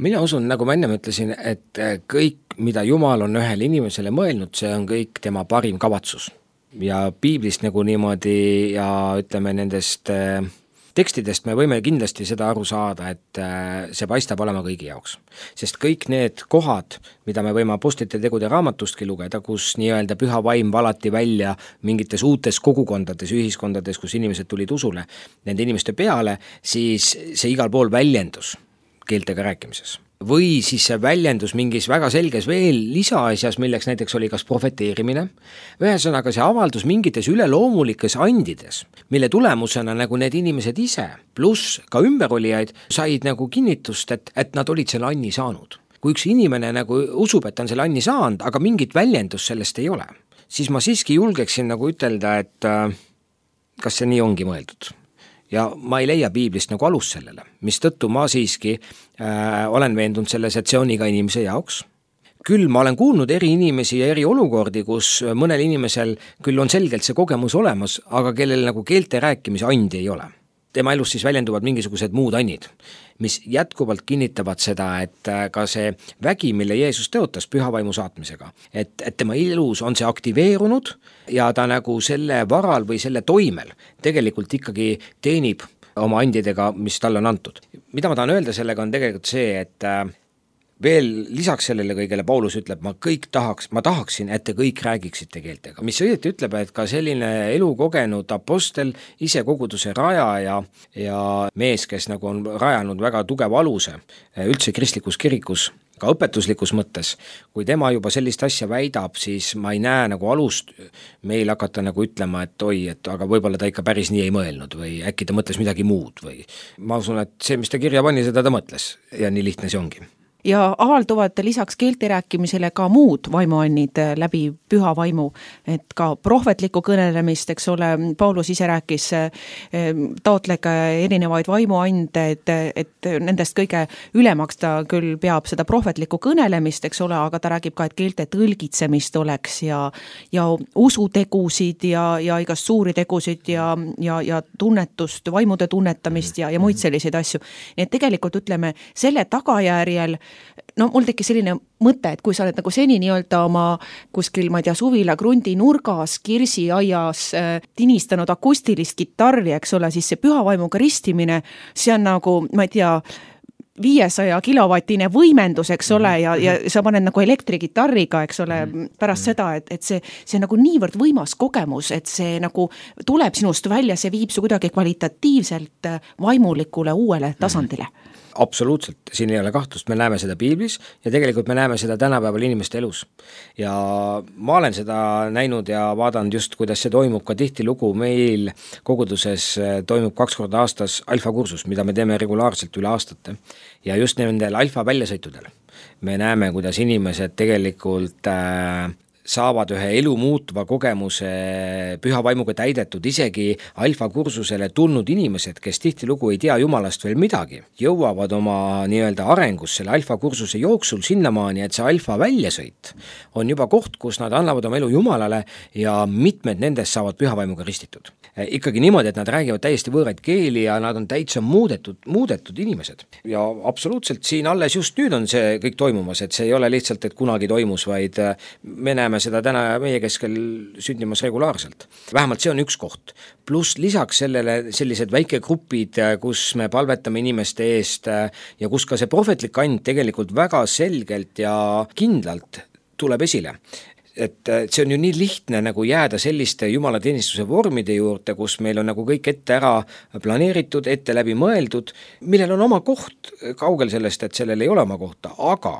Mina usun, nagu ma enne ütlesin, et kõik, mida Jumal on ühele inimesele mõelnud, see on kõik tema parim kavatsus. Ja piiblist nagu niimoodi ja ütleme nendest tekstidest me võime kindlasti seda aru saada, et see paistab olema kõigi jaoks. Sest kõik need kohad, mida me võime apostlite tegude raamatustki lugeda, kus nii-öelda püha vaim valati välja mingites uutes kogukondades, ühiskondades, kus inimesed tulid usule nende inimeste peale, siis see igal pool väljendus keeltega rääkimises. Või siis see väljendus mingis väga selges veel lisaasjas, milleks näiteks oli kas profeteerimine, ühesõnaga see avaldus mingites üleloomulikes andides, mille tulemusena nagu need inimesed ise, pluss ka ümberolijaid, said nagu kinnitust, et nad olid selle anni saanud. Kui üks inimene nagu usub, et on selle anni saanud, aga mingit väljendust sellest ei ole, siis ma siiski julgeksin nagu ütelda, et kas see nii ongi mõeldud. Ja ma ei leia piiblist nagu alus sellele, mis tõttu ma siiski olen veendunud selles, et see on iga inimese jaoks. Küll ma olen kuulnud eri inimesi ja eri olukordi, kus mõnel inimesel küll on selgelt see kogemus olemas, aga kellel nagu keelte rääkimise andi ei ole. Tema elus siis väljenduvad mingisugused muud annid, mis jätkuvalt kinnitavad seda, et ka see vägi, mille Jeesus teotas pühavaimu saatmisega, et tema elus on see aktiveerunud ja ta nagu selle varal või selle toimel tegelikult ikkagi teenib oma andidega, mis talle on antud. Mida ma tahan öelda sellega on tegelikult see, et veel lisaks sellele kõigele Paulus ütleb, ma tahaksin, et te kõik räägiksite keeltega, mis õieti ütleb, et ka selline elukogenud apostel, ise koguduse rajaja ja mees, kes nagu on rajanud väga tugeva aluse üldse kristlikus kirikus, ka õpetuslikus mõttes, kui tema juba sellist asja väidab, siis ma ei näe nagu alust meil hakata nagu ütlema, et oi, et aga võib-olla ta ikka päris nii ei mõelnud või äkki ta mõtles midagi muud või ma usun, et see, mis ta kirja pani, seda ta mõtles ja nii lihtne see ongi. Ja avalduvad lisaks keelte rääkimisele ka muud vaimuannid läbi püha vaimu, et ka prohvetlikku kõnelemist, eks ole, Paulus ise rääkis, taotlege erinevaid vaimuande, et nendest kõige ülemaks ta küll peab seda prohvetlikku kõnelemist, eks ole, aga ta räägib ka, et keelte tõlgitsemist oleks ja usutegusid ja igast suuri tegusid ja tunnetust, vaimude tunnetamist ja muid selliseid asju. Nii et tegelikult ütleme, selle tagajärjel no mul tekkis selline mõte, et kui sa oled nagu seni nii-öelda oma kuskil, ma ei tea, suvila krundi nurgas, kirsiaias tinistanud akustilist kitarri, eks ole, siis see pühavaimuga ristimine, see on nagu, ma ei tea, 500 kilovatine võimendus, eks ole, ja sa paned nagu elektrigitarriga, eks ole, pärast seda, et see on nagu niivõrd võimas kogemus, et see nagu tuleb sinust välja, see viib su kuidagi kvalitatiivselt vaimulikule uuele tasandile. Absoluutselt, siin ei ole kahtlust, me näeme seda piiblis ja tegelikult me näeme seda tänapäeval inimeste elus. Ja ma olen seda näinud ja vaadanud just, kuidas see toimub ka tihtilugu meil koguduses toimub 2 korda aastas alfakursus, mida me teeme regulaarselt üle aastate. Ja just nendel alfa väljasõitudel me näeme, kuidas inimesed tegelikult saavad ühe elu muutuva kogemuse püha vaimuga täidetud, isegi alfakursusele tulnud inimesed, kes tihtilugu ei tea Jumalast veel midagi, jõuavad oma nii-öelda arengus selle alfakursuse jooksul sinnamaani, et see alfa väljasõit on juba koht, kus nad annavad oma elu Jumalale ja mitmed nendest saavad püha vaimuga ristitud. Ikkagi niimoodi, et nad räägivad täiesti võõraid keeli ja nad on täitsa muudetud inimesed. Ja absoluutselt siin alles just nüüd on see kõik toimumas, et see ei ole lihtsalt, et kunagi toimus, vaid me näeme seda täna meie keskel sündimas regulaarselt. Vähemalt see on üks koht. Pluss lisaks sellele sellised väikegrupid, kus me palvetame inimeste eest ja kus ka see prohvetlik and tegelikult väga selgelt ja kindlalt tuleb esile. Et see on ju nii lihtne nagu jääda selliste jumalateenistuse vormide juurde, kus meil on nagu kõik ette ära planeeritud, ette läbi mõeldud, millel on oma koht, kaugel sellest, et sellel ei ole oma kohta, aga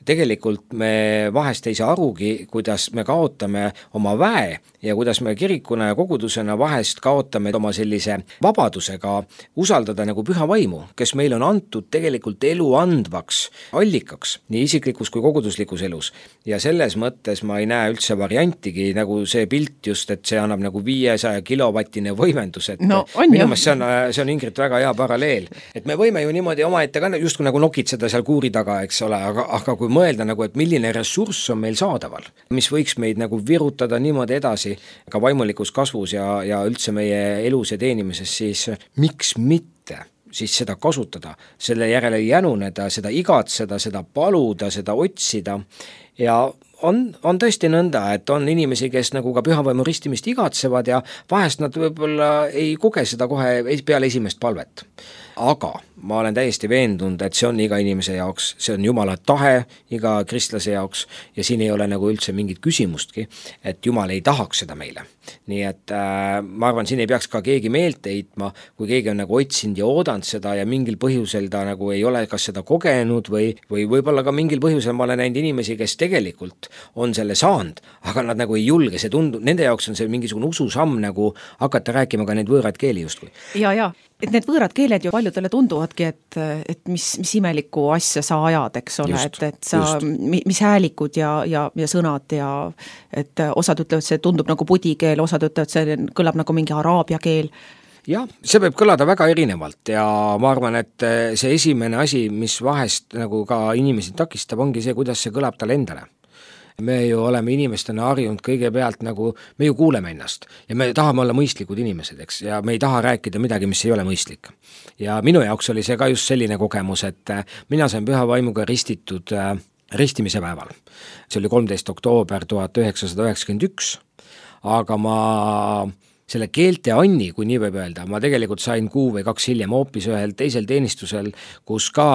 tegelikult me vahest ei saa arugi, kuidas me kaotame oma väe ja kuidas me kirikuna ja kogudusena vahest kaotame oma sellise vabadusega usaldada nagu püha vaimu, kes meil on antud tegelikult elu andvaks allikaks, nii isiklikus kui koguduslikus elus. Ja selles mõttes ma ei näe üldse variantigi nagu see pilt just, et see annab nagu 500 kilovatine võimendus, et no, minu meelest see on Ingrid väga hea paralleel, et me võime ju niimoodi oma ette ka just nagu nokitseda seal kuuri taga, eks ole, aga kui mõelda nagu, et milline ressurss on meil saadaval, mis võiks meid nagu virutada niimoodi edasi ka vaimulikus kasvus ja üldse meie elus ja teenimises, siis miks mitte siis seda kasutada, selle järele jänuneda, seda igatseda, seda paluda, seda otsida ja on tõesti nõnda, et on inimesi, kes nagu ka pühavaimu ristimist igatsevad ja vahest nad võib-olla ei koge seda kohe peale esimest palvet. Aga ma olen täiesti veendunud, et see on iga inimese jaoks, see on Jumala tahe iga kristlase jaoks ja siin ei ole nagu üldse mingit küsimustki, et Jumal ei tahaks seda meile. Nii et ma arvan, siin ei peaks ka keegi meelt heitma, kui keegi on nagu otsinud ja oodanud seda ja mingil põhjusel ta nagu ei ole kas seda kogenud või võib-olla ka mingil põhjusel ma olen näinud inimesi, kes tegelikult on selle saanud, aga nad nagu ei julge, see tundub, nende jaoks on see mingisugune ususamm nagu hakata rääkima ka neid võõraid keeli justkui. Ja, et need võõrad keeled ju paljudele tunduvadki, et mis imelikku asja sa ajad, eks ole, et sa, mis häälikud ja sõnad ja et osad ütlevad, see tundub nagu pudikeel, osad ütlevad, see kõlab nagu mingi araabia keel. Jah, see võib kõlada väga erinevalt ja ma arvan, et see esimene asi, mis vahest nagu ka inimesi takistab, ongi see, kuidas see kõlab tal endale. Me ju oleme inimestena harjunud kõigepealt nagu, me ju kuuleme ennast ja me tahame olla mõistlikud inimesed, eks, ja me ei taha rääkida midagi, mis ei ole mõistlik. Ja minu jaoks oli see ka just selline kogemus, et mina sain püha vaimuga ristitud ristimise päeval. See oli 13. oktoober 1991, aga ma selle keelte anni, kui nii võib öelda, ma tegelikult sain 1 või 2 hiljem hoopis ühel teisel teenistusel, kus ka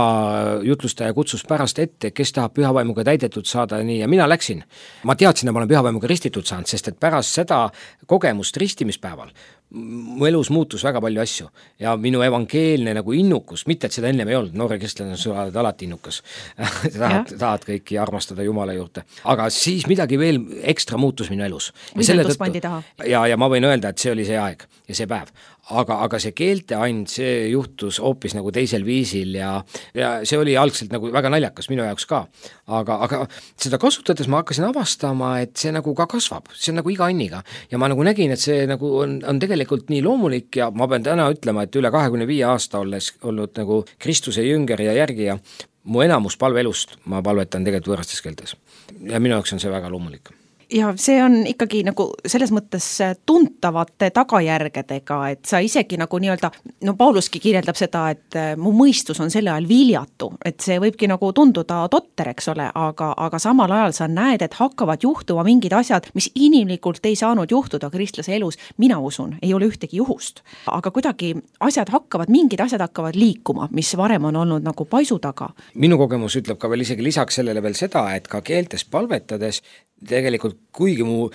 jutlustaja kutsus pärast ette, kes tahab pühavaimuga täidetud saada, nii, ja mina läksin. Ma teadsin, et ma olen pühavaimuga ristitud saanud, sest et pärast seda kogemust ristimispäeval mu elus muutus väga palju asju ja minu evangeelne nagu innukus, mitte et seda ennem ei olnud, noore kristlane sa oled alati innukas tahad kõiki armastada Jumala juurde, aga siis midagi veel ekstra muutus minu elus. Visendus pandi taha. Ja ma võin öelda, et see oli see aeg ja see päev. Aga see keelteand, see juhtus hoopis nagu teisel viisil ja see oli algselt nagu väga naljakas minu jaoks ka. Aga seda kasutades ma hakkasin avastama, et see nagu ka kasvab, see on nagu iga anniga ja ma nagu nägin, et see nagu on tegelikult nii loomulik ja ma pean täna ütlema, et üle 25 aasta olles olnud nagu Kristuse jünger ja järgija, mu enamus palveelust ma palvetan tegelikult võõrastes keeltes ja minu jaoks on see väga loomulik. Ja see on ikkagi nagu selles mõttes tuntavate tagajärgedega, et sa isegi nagu nii-öelda, no Pauluski kirjeldab seda, et mu mõistus on selle ajal viljatu, et see võibki nagu tunduda totter, eks ole, aga samal ajal sa näed, et hakkavad juhtuma mingid asjad, mis inimlikult ei saanud juhtuda kristlase elus, mina usun, ei ole ühtegi juhust. Aga kuidagi mingid asjad hakkavad liikuma, mis varem on olnud nagu paisu taga. Minu kogemus ütleb ka veel isegi lisaks sellele veel seda, et ka keeltes palvetades tegelikult kuigi mu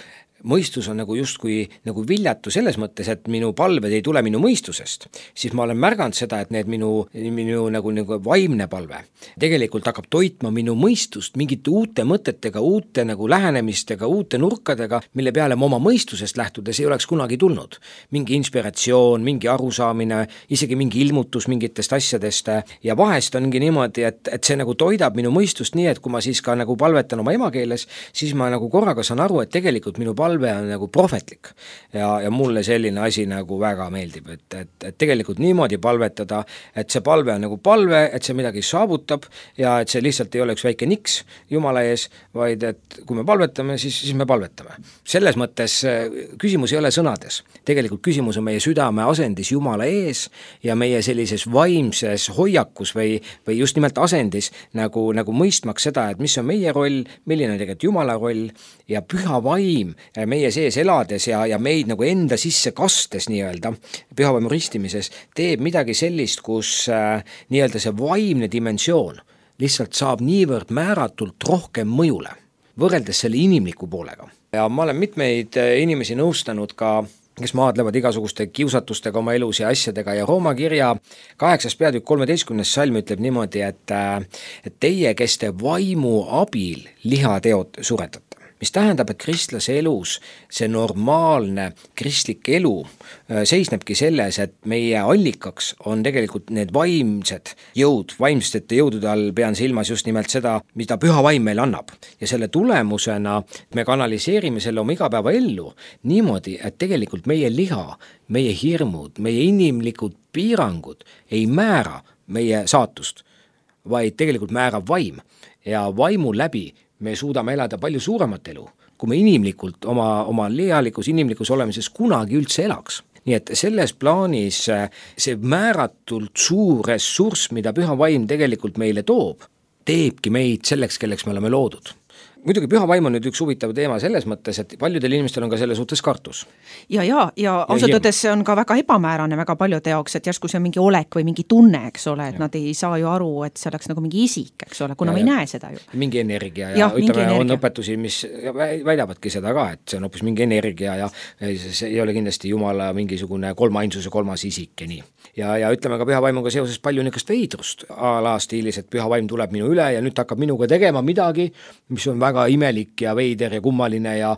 mõistus on nagu justkui nagu viljatu selles mõttes, et minu palved ei tule minu mõistusest, siis ma olen märganud seda, et need minu nagu vaimne palve tegelikult hakkab toitma minu mõistust mingite uute mõtetega, uute nagu lähenemistega, uute nurkadega, mille peale ma oma mõistusest lähtudes ei oleks kunagi tulnud. Mingi inspiratsioon, mingi arusaamine, isegi mingi ilmutus mingitest asjadest ja vahest ongi niimoodi, et see nagu toidab minu mõistust nii, et kui ma siis ka nagu palvetan oma emakeeles, siis ma nagu korraga saan aru, et tegelikult minu palve on nagu prohvetlik ja mulle selline asi nagu väga meeldib, et tegelikult niimoodi palvetada, et see palve on nagu palve, et see midagi saavutab ja et see lihtsalt ei ole üks väike niks Jumala ees, vaid et kui me palvetame, siis me palvetame. Selles mõttes küsimus ei ole sõnades. Tegelikult küsimus on meie südame asendis Jumala ees ja meie sellises vaimses hoiakus või just nimelt asendis nagu mõistmaks seda, et mis on meie roll, milline on tegelikult Jumala roll ja püha vaim meie sees elades ja meid nagu enda sisse kastes nii-öelda pühavaimu ristimises teeb midagi sellist, kus nii-öelda see vaimne dimensioon lihtsalt saab niivõrd määratult rohkem mõjule, võrreldes selle inimliku poolega. Ja ma olen mitmeid inimesi nõustanud ka, kes maadlevad igasuguste kiusatustega oma elus ja asjadega ja Rooma kirja 8. peatükk 13. salm ütleb niimoodi, et teie, kes te vaimu abil lihateod suretate. Mis tähendab, et kristlase elus see normaalne kristlik elu seisnebki selles, et meie allikaks on tegelikult need vaimsed jõud, vaimsete jõudude all pean silmas just nimelt seda, mida püha vaim meil annab. Ja selle tulemusena me kanaliseerime selle oma igapäeva ellu niimoodi, et tegelikult meie liha, meie hirmud, meie inimlikud piirangud ei määra meie saatust, vaid tegelikult määrab vaim ja vaimu läbi me suudame elada palju suuremat elu, kui me inimlikult oma inimlikus olemises kunagi üldse elaks. Nii et selles plaanis see määratult suur ressurss, mida püha vaim tegelikult meile toob, teebki meid selleks, kelleks me oleme loodud. Muidugi püha vaim on nüüd üks huvitav teema selles mõttes, et paljudel inimestel on ka selle suhtes kartus. Ja ausalt öeldes see on ka väga ebamäärane väga paljude jaoks, et järsku see on mingi olek või mingi tunne, eks ole, et nad ei saa ju aru, et see oleks nagu mingi isik, eks ole, kuna me ei näe seda ju. Mingi energia ja ütleme, on õpetusi, mis väidavadki seda ka, et see on hoopis mingi energia ja see ei ole kindlasti Jumala mingisugune kolmainsuse kolmas isik ja nii. Ja ütleme ka püha vaimuga seoses palju niisugust veidrust stiilis, et püha vaim tuleb minu üle ja nüüd hakkab minuga tegema midagi, mis on väga imelik ja veider ja kummaline ja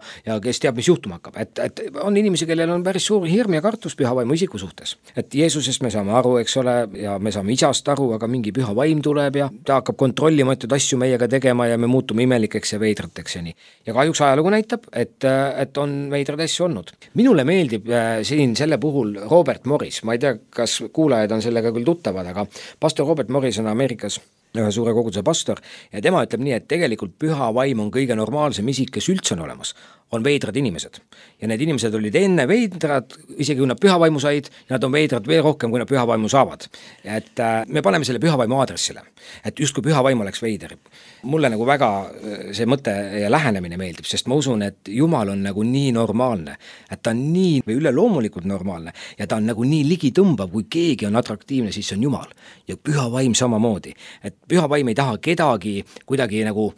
kes teab, mis juhtuma hakkab. Et on inimesi, kellel on päris suur hirm ja kartus püha vaimu isiku suhtes. Et Jeesusest me saame aru, eks ole, ja me saame isast aru, aga mingi püha vaim tuleb ja ta hakkab kontrollima asju meiega tegema ja me muutume imelikeks ja veidrateks ja nii. Ja kahjuks ajalugu näitab, et on veidrad asju olnud. Minule meeldib siin selle puhul Robert Morris, ma ei tea, kas kuulajad on sellega küll tuttavad, aga pastor Robert Morris on Ameerikas ühe suure koguduse pastor ja tema ütleb nii, et tegelikult püha vaim on kõige normaalsem isik, kes üldse on olemas. on veidrad inimesed. Ja need inimesed olid enne veidrad, isegi kui nad pühavaimu said, ja nad on veidrad veel rohkem, kui nad pühavaimu saavad. Et me paneme selle pühavaimu aadressile, et just kui pühavaim oleks veider. Mulle nagu väga see mõte ja lähenemine meeldib, sest ma usun, et Jumal on nagu nii normaalne, et ta on nii või üleloomulikult normaalne ja ta on nagu nii ligitõmbav, kui keegi on atraktiivne, siis see on Jumal. Ja pühavaim samamoodi, et pühavaim ei taha kedagi kuidagi nagu,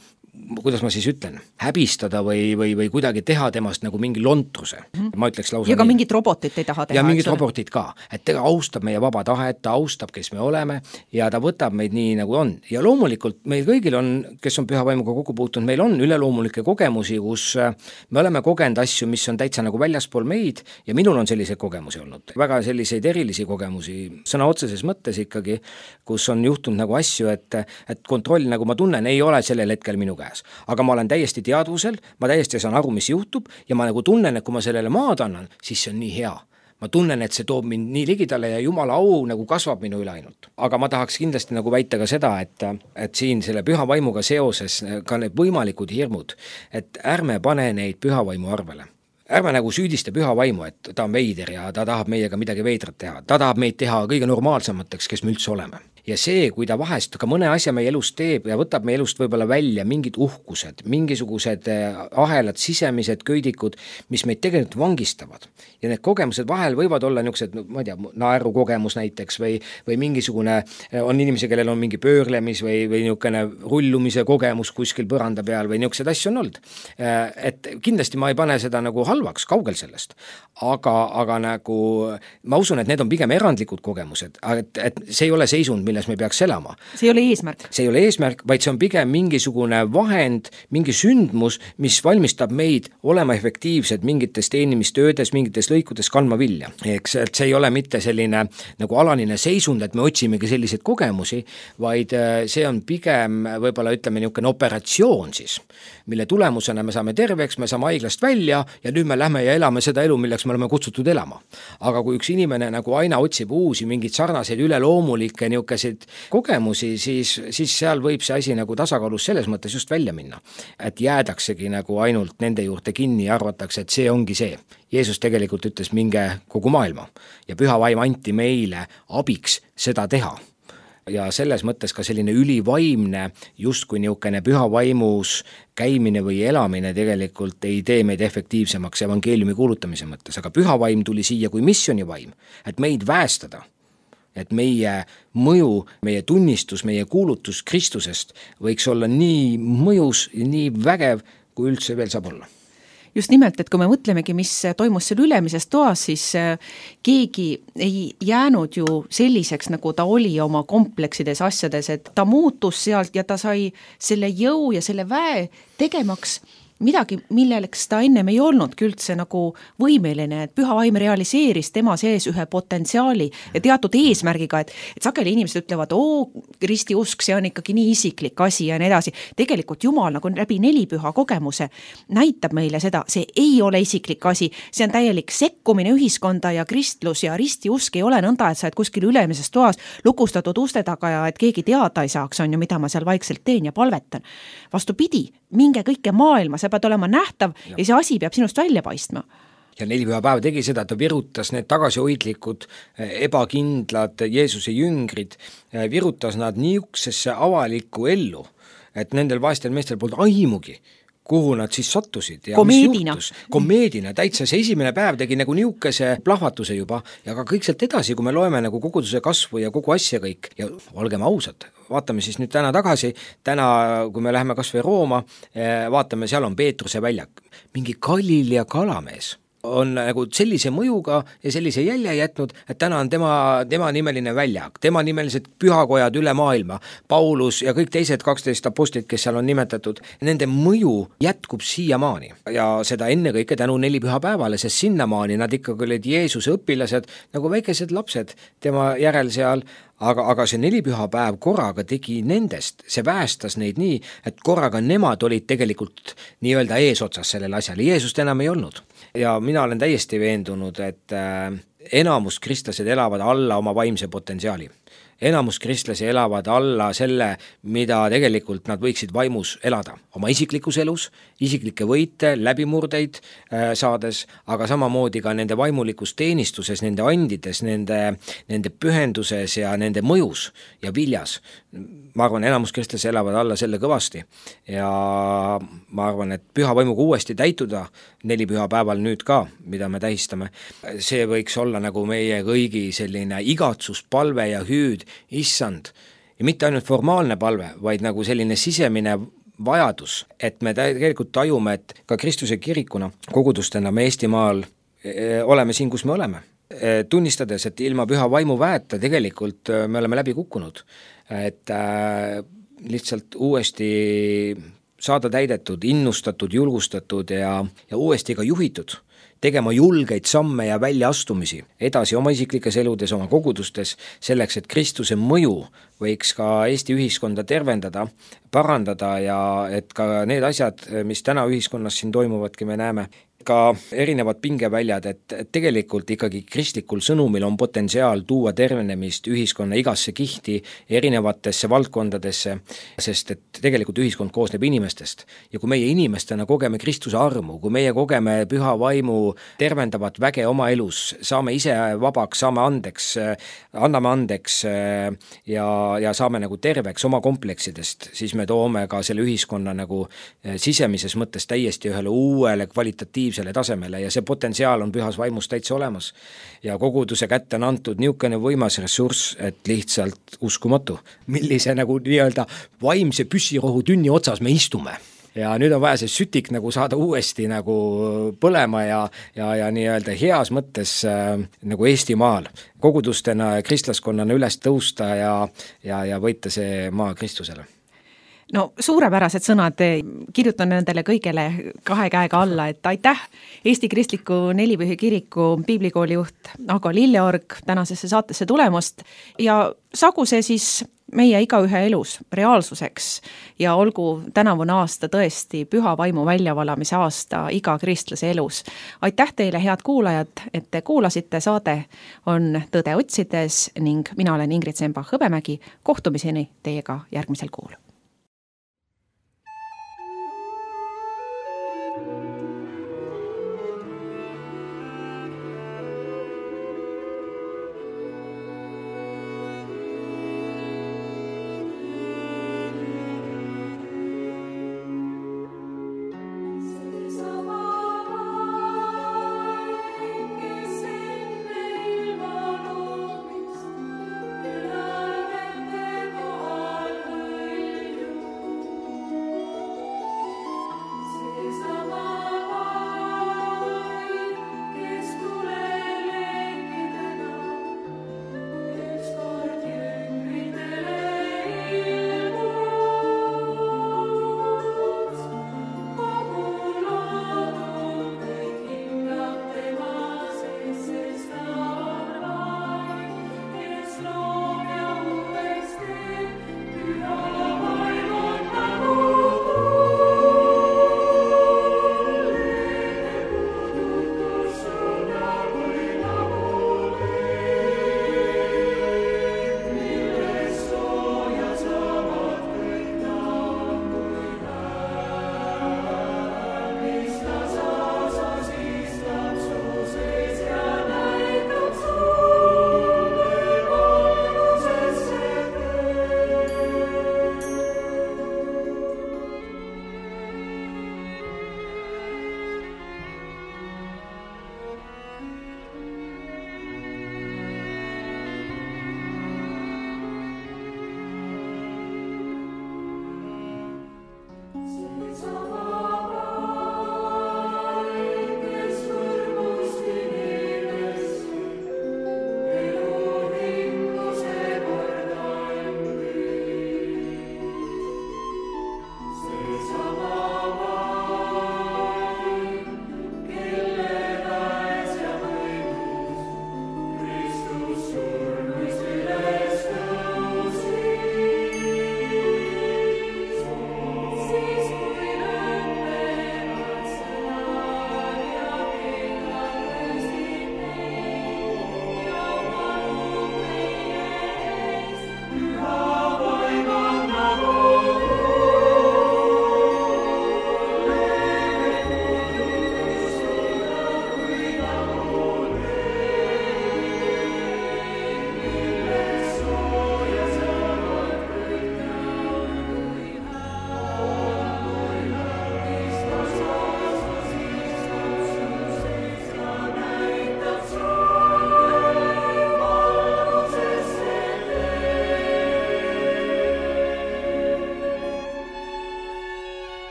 kuidas ma siis ütlen, häbistada või kuidagi teha temast nagu mingi lontruse. Ma ütleks lausa ja ka mingit robotit ei taha teha. Ja mingit robotit ka, et ta austab meie vaba tahet, ta austab, kes me oleme ja ta võtab meid nii, nagu on. Ja loomulikult meil kõigil on, kes on pühavaimuga kokku puutunud, meil on üleloomulikke kogemusi, kus me oleme kogenud asju, mis on täitsa nagu väljaspool meid ja minul on selliseid kogemusi olnud. Väga selliseid erilisi kogemusi, sõna otseses mõttes ikkagi, kus on juhtunud nagu asju, et kontroll, nagu ma tunnen, ei ole sellel hetkel minu käes. Aga ma olen täiesti teadvusel, ma täiesti saan aru, mis juhtub ja ma nagu tunnen, et kui ma sellele maad annan, siis see on nii hea. Ma tunnen, et see toob mind nii ligidale ja Jumala au nagu kasvab minu üle ainult. Aga ma tahaks kindlasti nagu väita ka seda, et siin selle pühavaimuga seoses ka need võimalikud hirmud, et ärme pane neid pühavaimu arvele. Ärme nagu süüdista pühavaimu, et ta on veider ja ta tahab meiega midagi veidrat teha. Ta tahab meid teha kõige normaalsemateks, kes me üldse oleme. Ja see, kui ta vahest ka mõne asja meie elust teeb ja võtab meie elust võib-olla välja mingid uhkused, mingisugused ahelad, sisemised köidikud, mis meid tegelikult vangistavad. Ja need kogemused vahel võivad olla niisugused, ma ei tea, naeru kogemus näiteks või mingisugune, on inimesi, kellel on mingi pöörlemis või niisugune rullumise kogemus kuskil põranda peal või niisugused asju on olnud. Et kindlasti ma ei pane seda nagu halvaks, kaugel sellest. Aga nagu ma usun, et need on pigem erandlikud kogemused, et see ei ole seisund, milles me peaks elama. See ei ole eesmärk. See ei ole eesmärk, vaid see on pigem mingisugune vahend, mingi sündmus, mis valmistab meid olema efektiivsed mingites teenimistöödes, mingites lõikudes kandma vilja. Eks, et see ei ole mitte selline nagu alanine seisund, et me otsimegi selliseid kogemusi, vaid see on pigem võib-olla ütleme niisugune operatsioon siis, mille tulemusena me saame terveks, me saame haiglast välja ja nüüd me lähme ja elame seda elu, milleks me oleme kutsutud elama. Aga kui üks inimene nagu aina otsib uusi mingid sarnaseid üleloomulikke niisugune kogemusi, siis seal võib see asi nagu tasakaalus selles mõttes just välja minna. Et jäädaksegi nagu ainult nende juurde kinni ja arvatakse, et see ongi see. Jeesus tegelikult ütles minge kogu maailma ja pühavaim anti meile abiks seda teha. Ja selles mõttes ka selline ülivaimne, just kui niisugune pühavaimus käimine või elamine tegelikult ei tee meid efektiivsemaks evangeeliumi kuulutamise mõttes, aga pühavaim tuli siia kui missionivaim, et meid väestada. Et meie mõju, meie tunnistus, meie kuulutus Kristusest võiks olla nii mõjus, nii vägev, kui üldse veel saab olla. Just nimelt, et kui me mõtlemegi, mis toimus seal ülemises toas, siis keegi ei jäänud ju selliseks, nagu ta oli oma kompleksides asjades, et ta muutus sealt ja ta sai selle jõu ja selle väe tegemaks midagi, milleks ta ennem ei olnudki üldse nagu võimeline, et pühavaim realiseeris tema sees ühe potentsiaali ja teatud eesmärgiga, et sageli inimesed ütlevad, ristiusk, see on ikkagi nii isiklik asi ja nii edasi. Tegelikult Jumal nagu läbi nelipüha kogemuse näitab meile seda, see ei ole isiklik asi, see on täielik sekkumine ühiskonda ja kristlus ja ristiusk ei ole nõnda, et sa oled kuskil ülemises toas lukustatud uste taga ja et keegi teada ei saaks, on ju, mida ma seal vaikselt teen ja palvetan. Vastupidi, minge kõike maailma, sa pead olema nähtav ja see asi peab sinust välja paistma. Ja nelipühapäev tegi seda, ta virutas need tagasihoidlikud, ebakindlad Jeesuse jüngrid, virutas nad niisugusesse avalikku ellu, et nendel vaestel meestel polnud aimugi, kuhu nad siis sattusid ja komeedina, täitsa see esimene päev tegi nagu niisuguse plahvatuse juba ja ka kõik sealt edasi, kui me loeme nagu koguduse kasvu ja kogu asja kõik ja olgem ausad, vaatame siis nüüd täna tagasi, kui me läheme kas või Rooma, vaatame, seal on Peetruse väljak, mingi Galilea kalamees on nagu sellise mõjuga ja sellise jälje jätnud, et täna on tema nimeline väljak, tema nimelised pühakojad üle maailma, Paulus ja kõik teised 12 apostlit, kes seal on nimetatud, nende mõju jätkub siiamaani ja seda ennekõike tänu nelipühapäevale, sest sinnamaani nad ikkagi olid Jeesuse õpilased nagu väikesed lapsed tema järel seal, aga see nelipühapäev korraga tegi nendest, see väestas neid nii, et korraga nemad olid tegelikult nii-öelda eesotsas sellele asjale, Jeesust enam ei olnud. Ja mina olen täiesti veendunud, et enamus kristlased elavad alla oma vaimse potentsiaali. enamus kristlasi elavad alla selle, mida tegelikult nad võiksid vaimus elada. Oma isiklikus elus, isiklikke võite, läbimurdeid saades, aga samamoodi ka nende vaimulikus teenistuses, nende andides, nende pühenduses ja nende mõjus ja viljas. Ma arvan, enamus kristlasi elavad alla selle kõvasti ja ma arvan, et püha vaimuga uuesti täituda 4 pühapäeval nüüd ka, mida me tähistame, see võiks olla nagu meie kõigi selline igatsus, palve ja hüüd, issand, ja mitte ainult formaalne palve, vaid nagu selline sisemine vajadus, et me tegelikult tajume, et ka Kristuse kirikuna kogudustena me Eestimaal oleme siin, kus me oleme. Tunnistades, et ilma püha vaimu väeta tegelikult me oleme läbi kukkunud, et lihtsalt uuesti saada täidetud, innustatud, julgustatud ja uuesti ka juhitud, tegema julgeid samme ja väljaastumisi edasi oma isiklikes eludes, oma kogudustes, selleks, et Kristuse mõju võiks ka Eesti ühiskonda tervendada, parandada ja et ka need asjad, mis täna ühiskonnas siin toimuvadki, me näeme, ka erinevad pingeväljad, et tegelikult ikkagi kristlikul sõnumil on potentsiaal tuua tervenemist ühiskonna igasse kihti, erinevatesse valdkondadesse, sest et tegelikult ühiskond koosneb inimestest. Ja kui meie inimestena kogeme Kristuse armu, kui meie kogeme püha vaimu tervendavat väge oma elus, saame ise vabaks, saame andeks, anname andeks ja saame nagu terveks oma kompleksidest, siis me toome ka selle ühiskonna nagu sisemises mõttes täiesti ühele uuele kvalitatiivsele tasemele ja see potentsiaal on pühas vaimus täitsa olemas. Ja koguduse kätte on antud niisugune võimas ressurss, et lihtsalt uskumatu, millise nagu nii-öelda vaimse püssirohu tünni otsas me istume. Ja nüüd on vaja see sütik nagu saada uuesti nagu põlema ja nii-öelda heas mõttes nagu Eestimaal kogudustena ja kristlaskonnana üles tõusta ja võita see maa Kristusele. No suurepärased sõnad, kirjutan nendele kõigele 2 käega alla, et aitäh Eesti Kristliku Nelipühi Kiriku piiblikooli juht Ago Lilleorg tänasesse saatesse tulemast ja sagu see siis meie igaühe elus reaalsuseks ja olgu tänavune aasta tõesti püha vaimu väljavalamise aasta iga kristlase elus. Aitäh teile, head kuulajad, et te kuulasite, saade on Tõde otsides ning mina olen Ingrid Sembach-Hõbemägi, kohtumiseni teiega järgmisel kuul.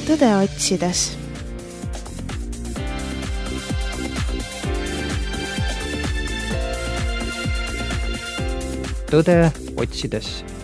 tõde otsides. Tõde otsides.